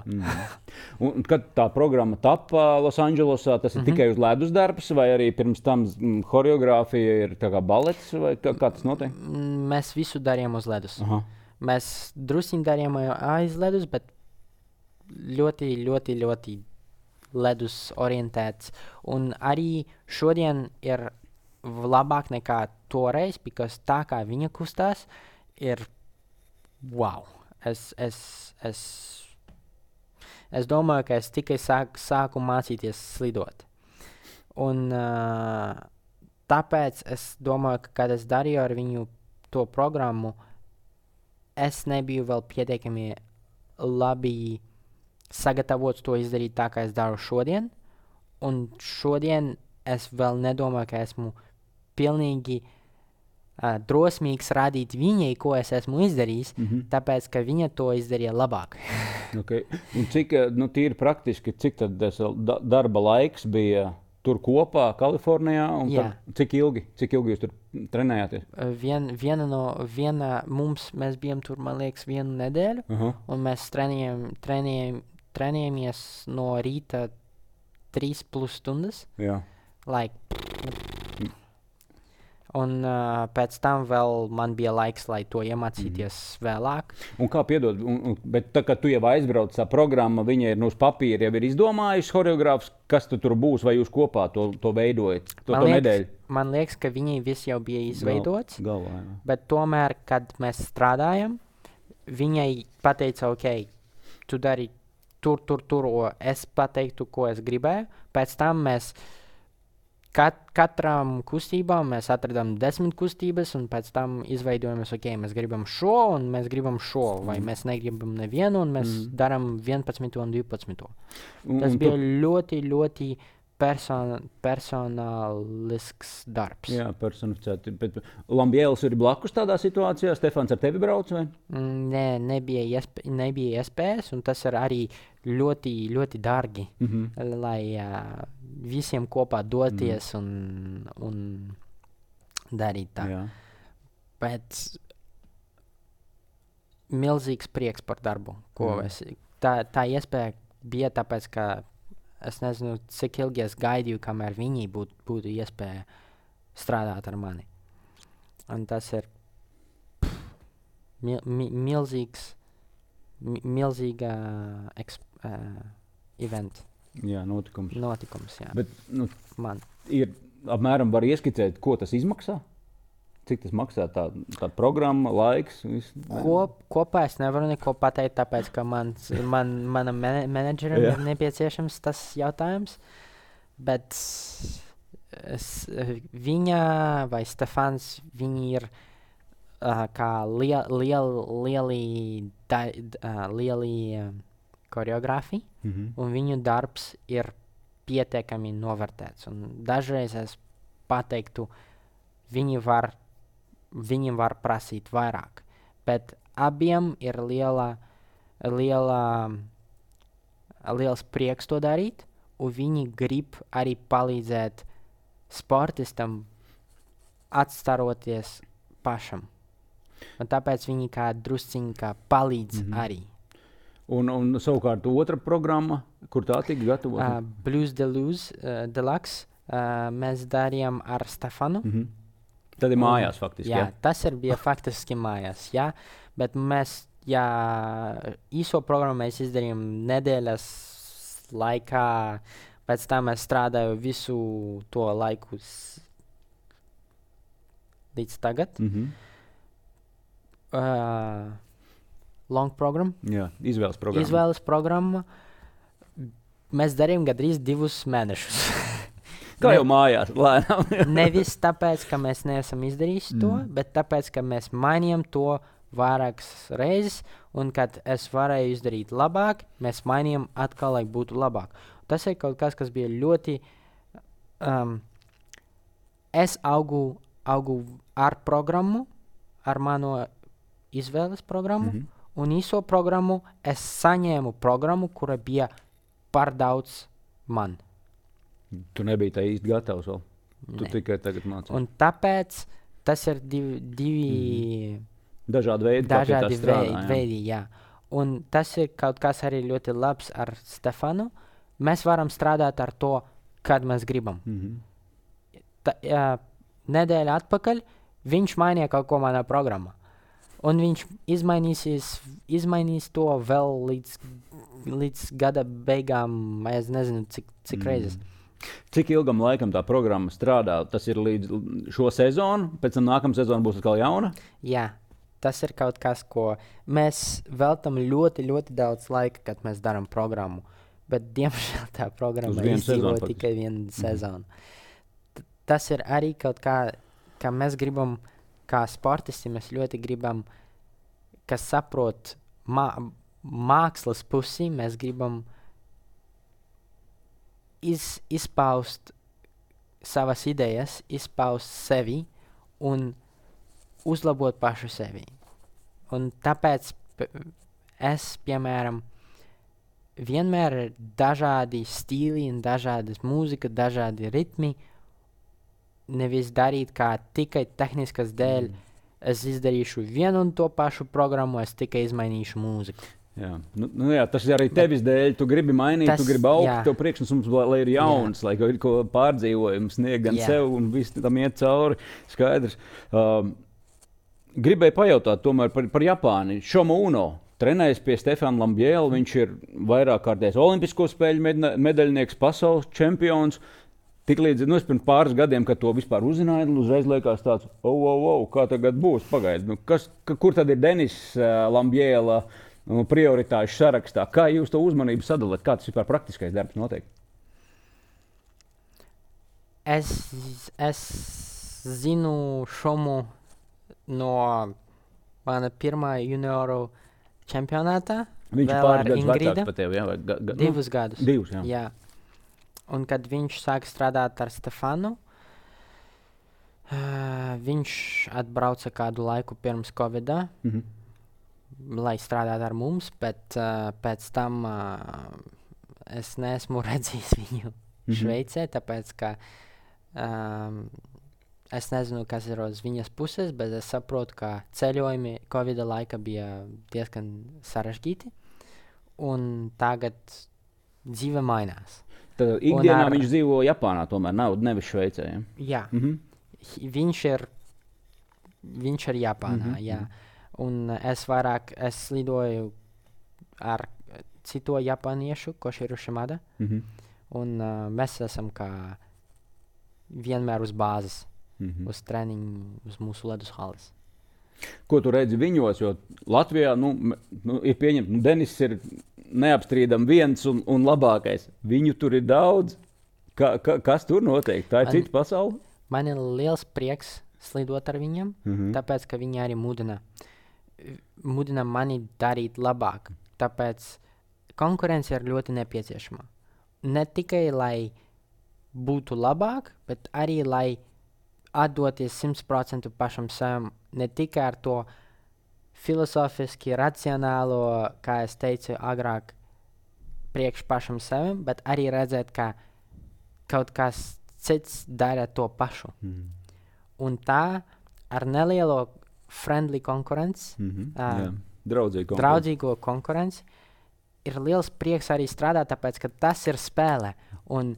S2: Un kad tā programma tapa Losandželosā, tas ir tikai uz ledus darbs, vai arī pirms tam choreogrāfija ir tā kā balets, vai kā tas notiek?
S1: Mēs visu darījām uz ledus.
S2: Aha.
S1: Mēs drusciņi darījām aiz ledus, bet ļoti ledus orientēts. Un arī šodien ir labāk nekā toreiz, because tā kā viņa kustās, ir wow. Es domāju, ka es tikai sāku mācīties slidot. Un tāpēc es domāju, ka, kad es darīju ar viņu to programmu, es nebiju vēl pietiekami labi sagatavots to izdarīt tā, kā es daru šodien. Un šodien es vēl nedomāju, ka esmu pilnīgi drosmīgs rādīt viņai, ko es esmu izdarījis, tāpēc, ka viņa to izdarīja labāk.
S2: Okay. Un cik, tīri praktiski, cik tad darba laiks bija tur kopā, Kalifornijā? Un cik ilgi jūs tur trenējāties? Mēs
S1: bijām tur, man liekas, 1 nedēļu, un mēs trenējāmies no rīta 3+ stundas.
S2: Jā.
S1: Un pēc tam vēl man bija laiks, lai to iemācīties vēlāk.
S2: Un kā piedod, bet tā, kad tu jau aizbrauc, tā programma, viņa ir uz papīra, jau ir izdomājusi choreogrāfs, kas tu tur būs, vai jūs kopā to veidojat, to nedēļu?
S1: Man liekas, ka viņai viss jau bija izveidots,
S2: galvā,
S1: bet tomēr, kad mēs strādājam, viņai pateica, ok, tu dari tur, es pateiktu, ko es gribēju, pēc tam mēs katram kustībām mēs atradām 10 kustības, un pēc tam izveidojamies, ok, mēs gribam šo, un mēs gribam šo, vai mēs negribam nevienu, un mēs darām 11 un 12. Tas bija ļoti personālisks darbs.
S2: Jā, personificēti. Bet Lambiels ir blakus tādā situācijā? Stefans ar tevi brauc, vai?
S1: Nē, nebija iespējas, un tas ir arī ļoti dārgi, lai visiem kopā doties un darīt tā.
S2: Jā.
S1: Bet milzīgs prieks par darbu, ko tā iespēja bija, tāpēc, ka es nezinu, cik ilgi es gaidīju, kamēr viņi būtu iespēja strādāt ar mani. Un tas ir milzīga event.
S2: Jā, notikums.
S1: Jā.
S2: Bet,
S1: man
S2: ir apmēram var ieskicēt, ko tas izmaksā? Cik tas maksā tā programma, laiks?
S1: Kopā es nevaru neko pateikt, tāpēc, ka manam menedžeram ir nepieciešams tas jautājums, bet viņa vai Stefans, viņi ir kā lieli koreogrāfi, un viņu darbs ir pietiekami novērtēts. Un dažreiz es pateiktu, viņi var prasīt vairāk, bet abiem ir liels prieks to darīt, un viņi grib arī palīdzēt sportistam atstaroties pašam. Un tāpēc viņi kā drusciņi kā palīdz arī.
S2: Un savukārt otra programma, kur tā tika gatavota?
S1: Blues Deluxe. Mēs darījām ar Stefanu.
S2: Tad ir mājās faktiski,
S1: jā? Tas bija faktiski mājās, jā. Bet mēs, īso programmu mēs izdarījām nedēļas laikā, pēc tam es strādāju visu to laiku līdz tagad. Long program.
S2: Jā, izvēles programma.
S1: Izvēles programma. Mēs darījām gandrīz 2 mēnešus.
S2: Kā jau mājās, lēnām.
S1: Nevis tāpēc, ka mēs neesam izdarījuši to, bet tāpēc, ka mēs mainījām to vairākas reizes, un kad es varēju izdarīt labāk, mēs mainījām atkal, lai būtu labāk. Tas ir kaut kas bija ļoti... es augu ar programmu, ar mano izvēles programmu, un īso programmu es saņēmu programmu, kura bija par daudz man.
S2: Tu nebija tā īsti gatavs vēl. Tu
S1: Ne.
S2: tikai tagad mācies.
S1: Un tāpēc tas ir divi
S2: Dažādi veidi, kā pie tā
S1: dažādi
S2: strādā.
S1: veidi, jā. Un tas ir kaut kas arī ļoti labs ar Stefanu. Mēs varam strādāt ar to, kad mēs gribam. Nedēļa atpakaļ viņš mainīja kaut ko manā programmā. Un viņš izmainīs to vēl līdz gada beigām, es nezinu, cik reizes.
S2: Cik ilgam laikam tā programma strādā? Tas ir līdz šo sezonu, pēc tam nākamā sezona būs atkal jauna?
S1: Jā, tas ir kaut kas, ko mēs veltam ļoti, ļoti daudz laika, kad mēs darām programmu. Bet, diemžēl, tā programma
S2: Uz vienu
S1: izdzīvo
S2: sezonu
S1: tikai vienu sezonu. Tas ir arī kaut kā mēs gribam, kā sportisti, mēs ļoti gribam, kas saprot mākslas pusi, mēs gribam izpaust savas idejas, izpaust sevi un uzlabot pašu sevi. Un tāpēc es, piemēram, vienmēr ir dažādi stili un dažādas mūzika, dažādi ritmi. Nevis darīt kā tikai tehniskas dēļ. Es izdarīšu vienu un to pašu programmu, es tikai izmainīšu mūziku.
S2: Jā. Jā, tas ir arī tevis dēļ. Tu gribi mainīt, tu gribi augt, tev priekšnesums, lai ir jauns, lai ir ko pārdzīvojums, sniegt gan sev un viss tam iet cauri. Skaidrs. Gribēju pajautāt tomēr par Japāni. Šomo Uno trenējas pie Stefana Lambiela. Viņš ir vairāk kārtējs olimpisko spēļu medaļnieks, pasaules čempions. Tiklīdz pirms pāris gadiem, kad to vispār uzzināja, uzreiz liekas tāds, kā tagad būs, pagaidi. Kur tad ir Denis Lambiela prioritāšu sarakstā? Kā jūs to uzmanību sadalāt? Kā tas vispār praktiskais darbs notiek?
S1: Es zinu Šomu no mana pirmā junioru čempionātā.
S2: Viņš ir pāris gadus vecāks par tevi, jā?
S1: Divus gadus.
S2: Divus, jā.
S1: Jā. Un kad viņš sāka strādāt ar Stefanu, viņš atbrauca kādu laiku pirms Covid-a, lai strādātu ar mums, bet pēc tam es neesmu redzējis viņu Šveicē, tāpēc, ka es nezinu, kas ir uz viņas puses, bet es saprotu, ka ceļojumi Covid-a laika bija diezgan sarežģīti, un tagad dzīve mainās.
S2: Tad ikdienā viņš dzīvo Japānā, tomēr nevis Šveicē. Ja?
S1: Jā, viņš ir Japānā, jā. Un es lidoju ar citu japāniešu, Koširu Šimada, un mēs esam kā vienmēr uz bāzes, uz treniņu, uz mūsu ledus halas.
S2: Ko tu redzi viņos, jo Latvijā ir pieņemts, Denis ir neapstrīdam viens un labākais. Viņu tur ir daudz. Kas tur notiek? Tā ir cita pasaule?
S1: Man ir liels prieks slidot ar viņiem, tāpēc, ka viņi arī mudina mani darīt labāk. Tāpēc konkurence ir ļoti nepieciešama. Ne tikai, lai būtu labāk, bet arī, lai atdoties 100% pašam sevam, ne tikai ar to filozofiski, racionālo, kā es teicu agrāk, priekš pašam sevim, bet arī redzēt, ka kaut kas cits dara to pašu. Un tā ar nelielo friendly konkurenci, draudzīgo konkurenci, ir liels prieks arī strādāt, tāpēc, ka tas ir spēle. Un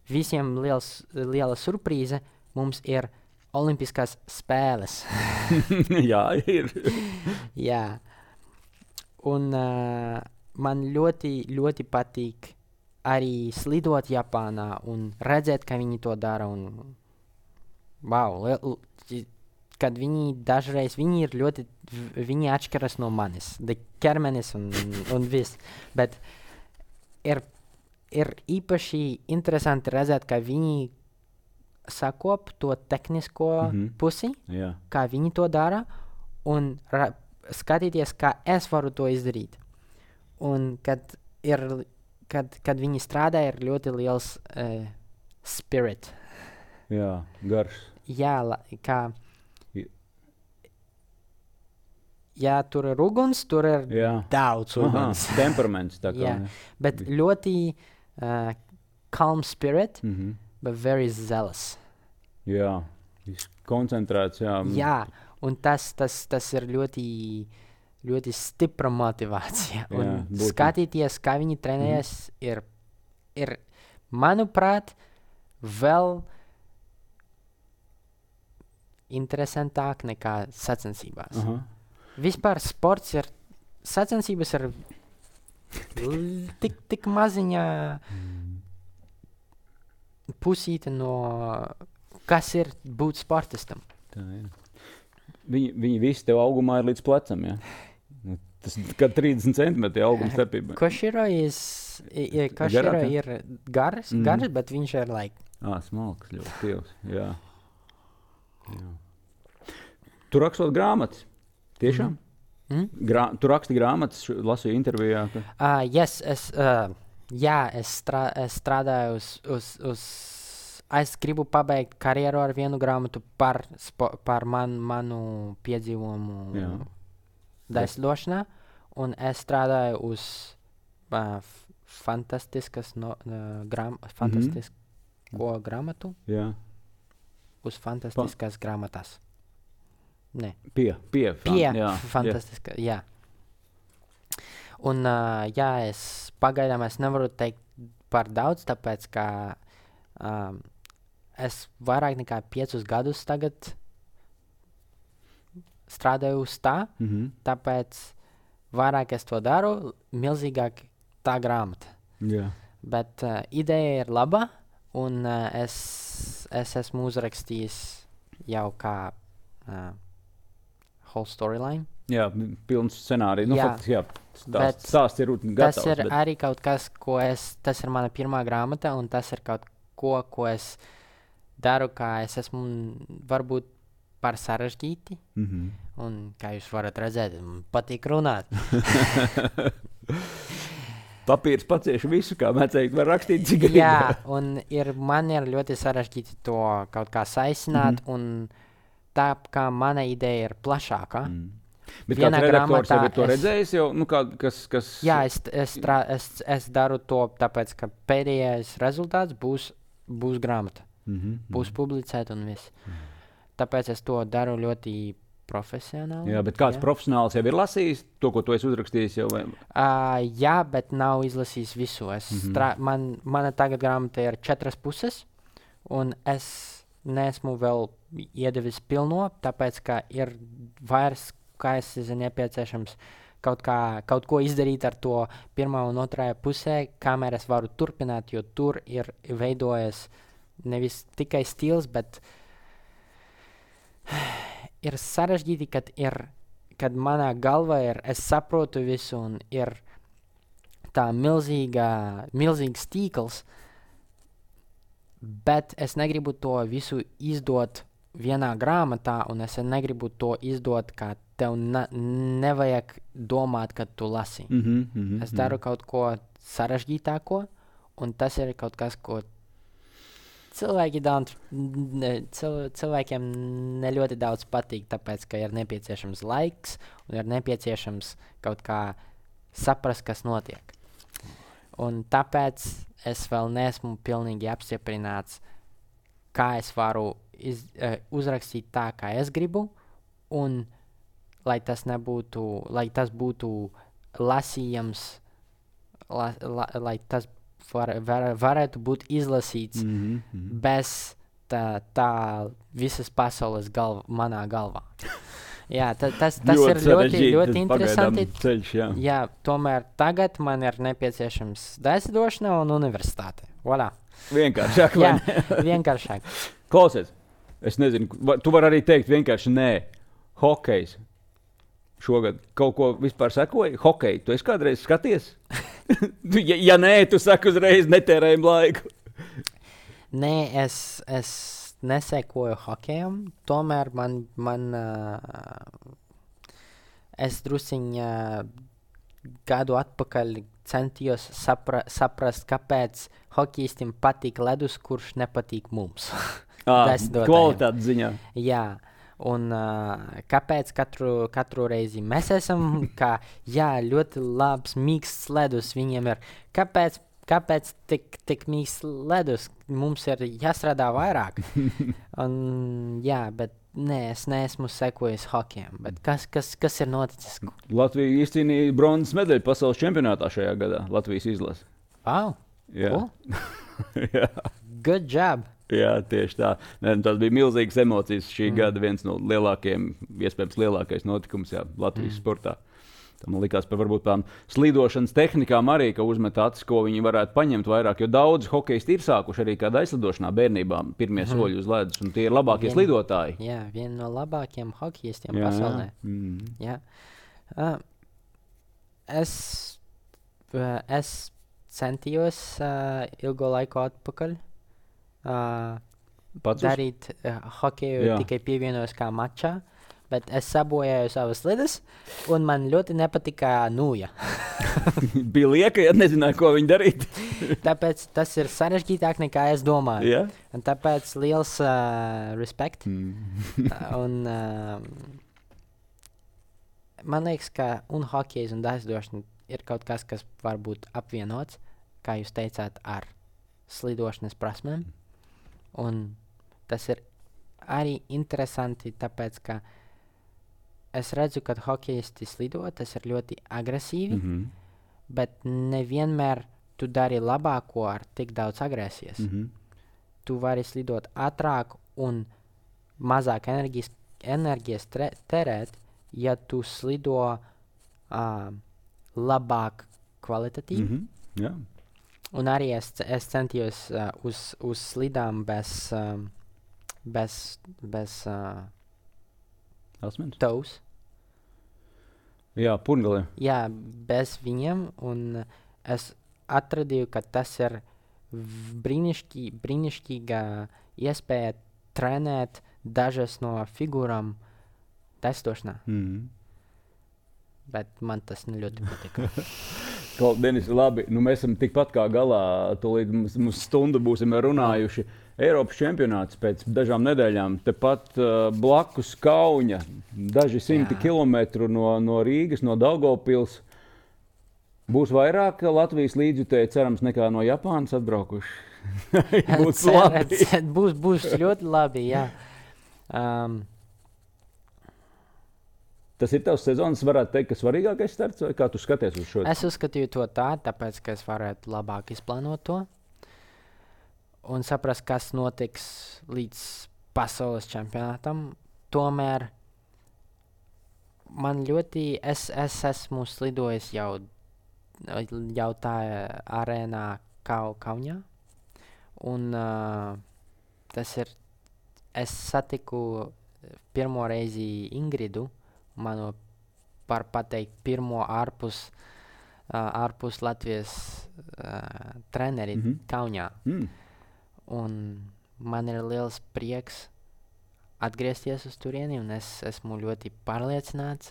S1: visiem liela surprīze mums ir Olimpiskās spēles.
S2: Jā, ir.
S1: Jā. Un man ļoti, ļoti patīk arī slidot Japānā un redzēt, ka viņi to dara. Un, kad viņi dažreiz, viņi atšķiras no manis. Ķermenis un viss. Bet ir īpaši interesanti redzēt, ka viņi sakop to tehnisko pusi, kā viņi to dara, un skatīties, kā es varu to izdarīt. Un kad viņi strādā, ir ļoti liels spirit.
S2: Jā, garš.
S1: Jā, kā ja tur ir uguns, tur ir daudz uguns.
S2: Temperaments tā kā.
S1: Jā, bet ļoti calm spirit, but very zealous.
S2: Jā, koncentrēts, jā.
S1: Jā, un tas ir ļoti stipra motivācija. Un skatīties, kā viņi trenējas, ir, manuprāt, vēl interesantāk nekā sacensībās. Vispār sports ir, sacensības ir tik maziņa pusīte no, kas ir būt sportistam.
S2: Tā ir. Viņi visi tev augumā ir līdz plecam, ja? Tas kā 30 centimetri auguma starpība.
S1: Koširo ir gars, bet viņš ir
S2: smalks, ļoti tievs, jā. Tu rakstot grāmatas? Tiešām? Tu raksti grāmatas, lasīju intervijā?
S1: Yes, es strādāju es gribu pabeigt karjeru ar vienu grāmatu par manu piedzīvojumu daļsdošanā, un es strādāju uz fantastisko grāmatu. Jā. Uz fantastiskas grāmatas. Ne. Pie fantastiska, jā. Un, es pagaidām nevaru teikt par daudz, tāpēc, ka es vairāk nekā 5 gadus tagad strādāju uz tā, tāpēc vairāk es to daru, milzīgāk tā grāmata.
S2: Jā.
S1: Bet ideja ir laba, un es esmu uzrakstījis jau kā whole storyline.
S2: Jā, pilns scenāriju. Stāsts ir gatavs.
S1: Tas ir arī kaut kas, tas ir mana pirmā grāmata, un tas ir kaut ko es daru, kā es esmu varbūt par sarežģīti. Un kā jūs varat redzēt, man patīk runāt.
S2: Papīrs pacieši visu, kā mēs teikt, var rakstīt cik grib.
S1: Jā, un man ir ļoti sarežģīti to kaut kā saisināt, un tā kā mana ideja ir plašāka.
S2: Bet kāds redaktors jau ir to redzējis jau? Kas...
S1: Jā, es daru to, tāpēc, ka pēdējais rezultāts būs grāmata. Būs publicēta un viss. Tāpēc es to daru ļoti profesionāli.
S2: Jā, bet kāds profesionāls jau ir lasījis to, ko tu esi uzrakstījis jau? Vai?
S1: Jā, bet nav izlasījis visu. Mana tagad grāmata ir 4 puses, un es neesmu vēl iedevis pilno, tāpēc, ka ir vairs, kā es nepieciešams kaut ko izdarīt ar to pirmā un otrajā pusē, kamēr es varu turpināt, jo tur ir veidojas nevis tikai stils, bet ir sarežģīti, kad manā galvā es saprotu visu un ir tā milzīgs tīkls, bet es negribu to visu izdot vienā grāmatā, un es negribu to izdot, kā tev nevajag domāt, kad tu lasi. Es daru kaut ko sarežģītāko, un tas ir kaut kas, ko cilvēkiem ne ļoti daudz patīk, tāpēc, ka ir nepieciešams laiks un ir nepieciešams kaut kā saprast, kas notiek. Un tāpēc es vēl neesmu pilnīgi apstiprināts, kā es varu uzrakstīt tā, kā es gribu, un lai tas būtu lasījams, lai tas varētu būt izlasīts bez tā visas pasaules manā galvā. Jā, tas ir ļoti interesanti.
S2: Ceļš,
S1: jā, tomēr tagad man ir nepieciešams daļsdošana un universitāte. Voilà.
S2: Vienkāršāk.
S1: Jā, vienkāršāk.
S2: Klausies, es nezinu, tu vari arī teikt vienkārši nē. Hokejs. Šogad kaut ko vispār sekoji? Hokeju, tu esi kādreiz skaties? ja nē, tu saki uzreiz netērējam laiku.
S1: Nē, es nesekoju hokejam, tomēr es drusiņ gadu atpakaļ centījos saprast, kāpēc hokejistim patīk ledus, kurš nepatīk mums.
S2: Kvalitātes ziņā.
S1: Jā, Un kāpēc katru reizi mēs esam, ļoti labs, mīksts ledus viņiem ir. Kāpēc tik mīksts ledus? Mums ir jāstrādā vairāk. Bet nē, es neesmu sekojis hokejam. Bet kas ir noticis?
S2: Latvija izcīnīja bronzas medaļu pasaules čempionātā šajā gadā. Latvijas izlase.
S1: Wow!
S2: Jā.
S1: Cool.
S2: Jā.
S1: Good job!
S2: Jā, tieši tā. Tas bija milzīgas emocijas. Šī gada viens no iespējams lielākais notikums Latvijas sportā. Man likās par varbūt tām slidošanas tehnikām arī, ka uzmet acis, ko viņi varētu paņemt vairāk, jo daudz hokejisti ir sākuši arī kādā aizlidošanā bērnībā pirmie soļi uz ledus, un tie ir labākie slidotāji.
S1: Jā, viena no labākajiem hokejistiem pasaulē. Jā. Es centījos ilgo laiku atpakaļ darīt hokeju, tikai pievienojos kā mačā. Bet es sabojāju savas slides, un man ļoti nepatika nūja.
S2: Bija lieka, ja nezināju, ko viņi darīt.
S1: Tāpēc tas ir sarežģītāk nekā es domāju.
S2: Yeah?
S1: Un tāpēc liels respekt. Un man liekas, ka un hokejs un aizlidošana ir kaut kas var būt apvienots, kā jūs teicāt, ar slidošanas prasmēm. Un tas ir arī interesanti, tāpēc, ka es redzu, ka hokejisti slido, tas ir ļoti agresīvi, bet nevienmēr tu dari labāko ar tik daudz agresijas. Tu vari slidot ātrāk un mazāk enerģijas terēt, ja tu slido labāk kvalitatīvi.
S2: Yeah.
S1: Un arī es centījos uz slidām bez toes.
S2: Jā, purgalē.
S1: Jā, bez viņiem, un es atradīju, ka tas ir brīnišķīga iespēja trenēt dažas no figūrām testošanā. Bet man tas ļoti patika.
S2: Denis, labi, mēs esam tikpat kā galā, tūlīt mums stundu būsim runājuši. Eiropas čempionāts pēc dažām nedēļām, tepat blakus Kauņa, daži simti kilometru no Rīgas, no Daugavpils. Būs vairāk Latvijas līdzjutēji, cerams, nekā no Japānas atbraukuši.
S1: Būs ļoti labi, jā.
S2: Tas ir tavs sezonas, varētu teikt, ka svarīgākais starts, vai kā tu skaties uz šo?
S1: Es uzskatīju to tāpēc, ka es varētu labāk izplānot to un saprast, kas notiks līdz pasaules čempionātam. Tomēr man es esmu slidojis jau tā arēnā Kauņā, un tas ir, es satiku pirmo reizi Ingridu, manu par pateikt pirmo ārpus Latvijas treneri Kauņā. Un man ir liels prieks atgriezties uz turieni, un es esmu ļoti pārliecināts,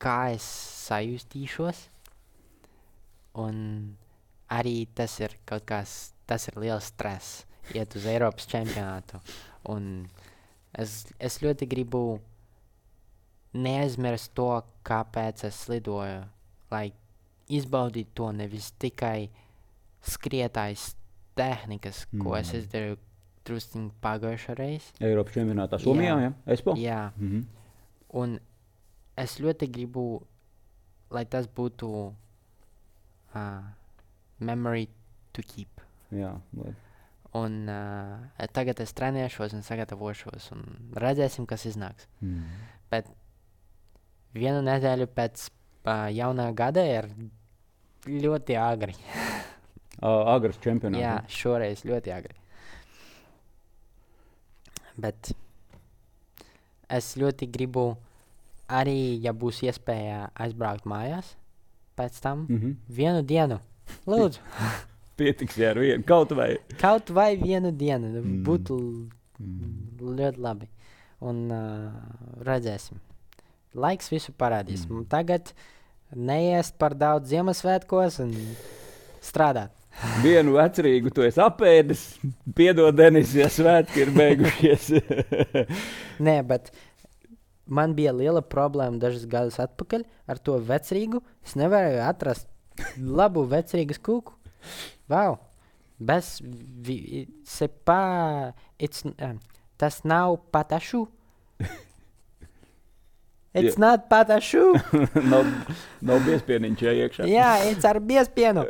S1: kā es sajustīšos. Un arī tas ir tas ir liels stress, iet uz Eiropas čempionātu. Un es ļoti gribu neaizmirst to, kāpēc es slidoju, lai izbaudītu to nevis tikai skrietājas tehnikas, ko es izdarīju drusciņ pagājušā reizi.
S2: Eiropas čempionātā Somijā, jā? Espo?
S1: Jā. Un es ļoti gribu, lai tas būtu memory to keep.
S2: Jā, labi.
S1: Un tagad es trenēšos un sagatavošos un redzēsim, kas iznāks. Bet vienu nedēļu pēc jaunā gada ir ļoti agri.
S2: Agras čempionāts.
S1: Jā, šoreiz ļoti agri. Bet es ļoti gribu arī, ja būs iespēja aizbraukt mājās pēc tam, vienu dienu. Lūdzu.
S2: Pietiks, jā, ar vienu. Kaut
S1: vai vienu dienu. Būtu ļoti labi. Un redzēsim. Laiks visu parādīs. Tagad neēst par daudz Ziemassvētkos un strādāt.
S2: Vienu vecrīgu tu esi apēdis. Piedod, Denis, ja svētki ir beigušies.
S1: Nē, bet man bija liela problēma dažus gadus atpakaļ ar to vecrīgu. Es nevarēju atrast labu vecrīgas kūku. Wow. Tas nav patašu. It's not patašu.
S2: nav biespieniņš iekšā.
S1: Jā, it's ar biespienu.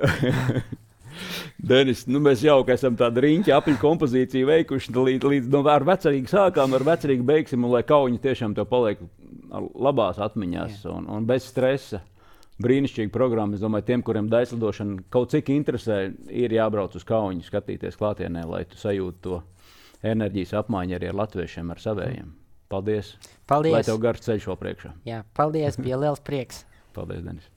S2: Denis, mēs jauki esam tādu riņķi apļu kompozīciju veikuši, līdz ar vecrīgu sākām, ar vecrīgu beigsim, un lai kauņi tiešām tev paliek labās atmiņās un bez stresa. Brīnišķīga programma. Es domāju, tiem, kuriem daislidošana kaut cik interesē, ir jābrauc uz kauņu, skatīties klātienē, lai tu sajūti to enerģijas apmaiņu arī ar latviešiem, ar savējiem. Paldies. Lai tev garš ceļš vēl priekšā.
S1: Jā, paldies, bija liels prieks.
S2: Paldies, Denis.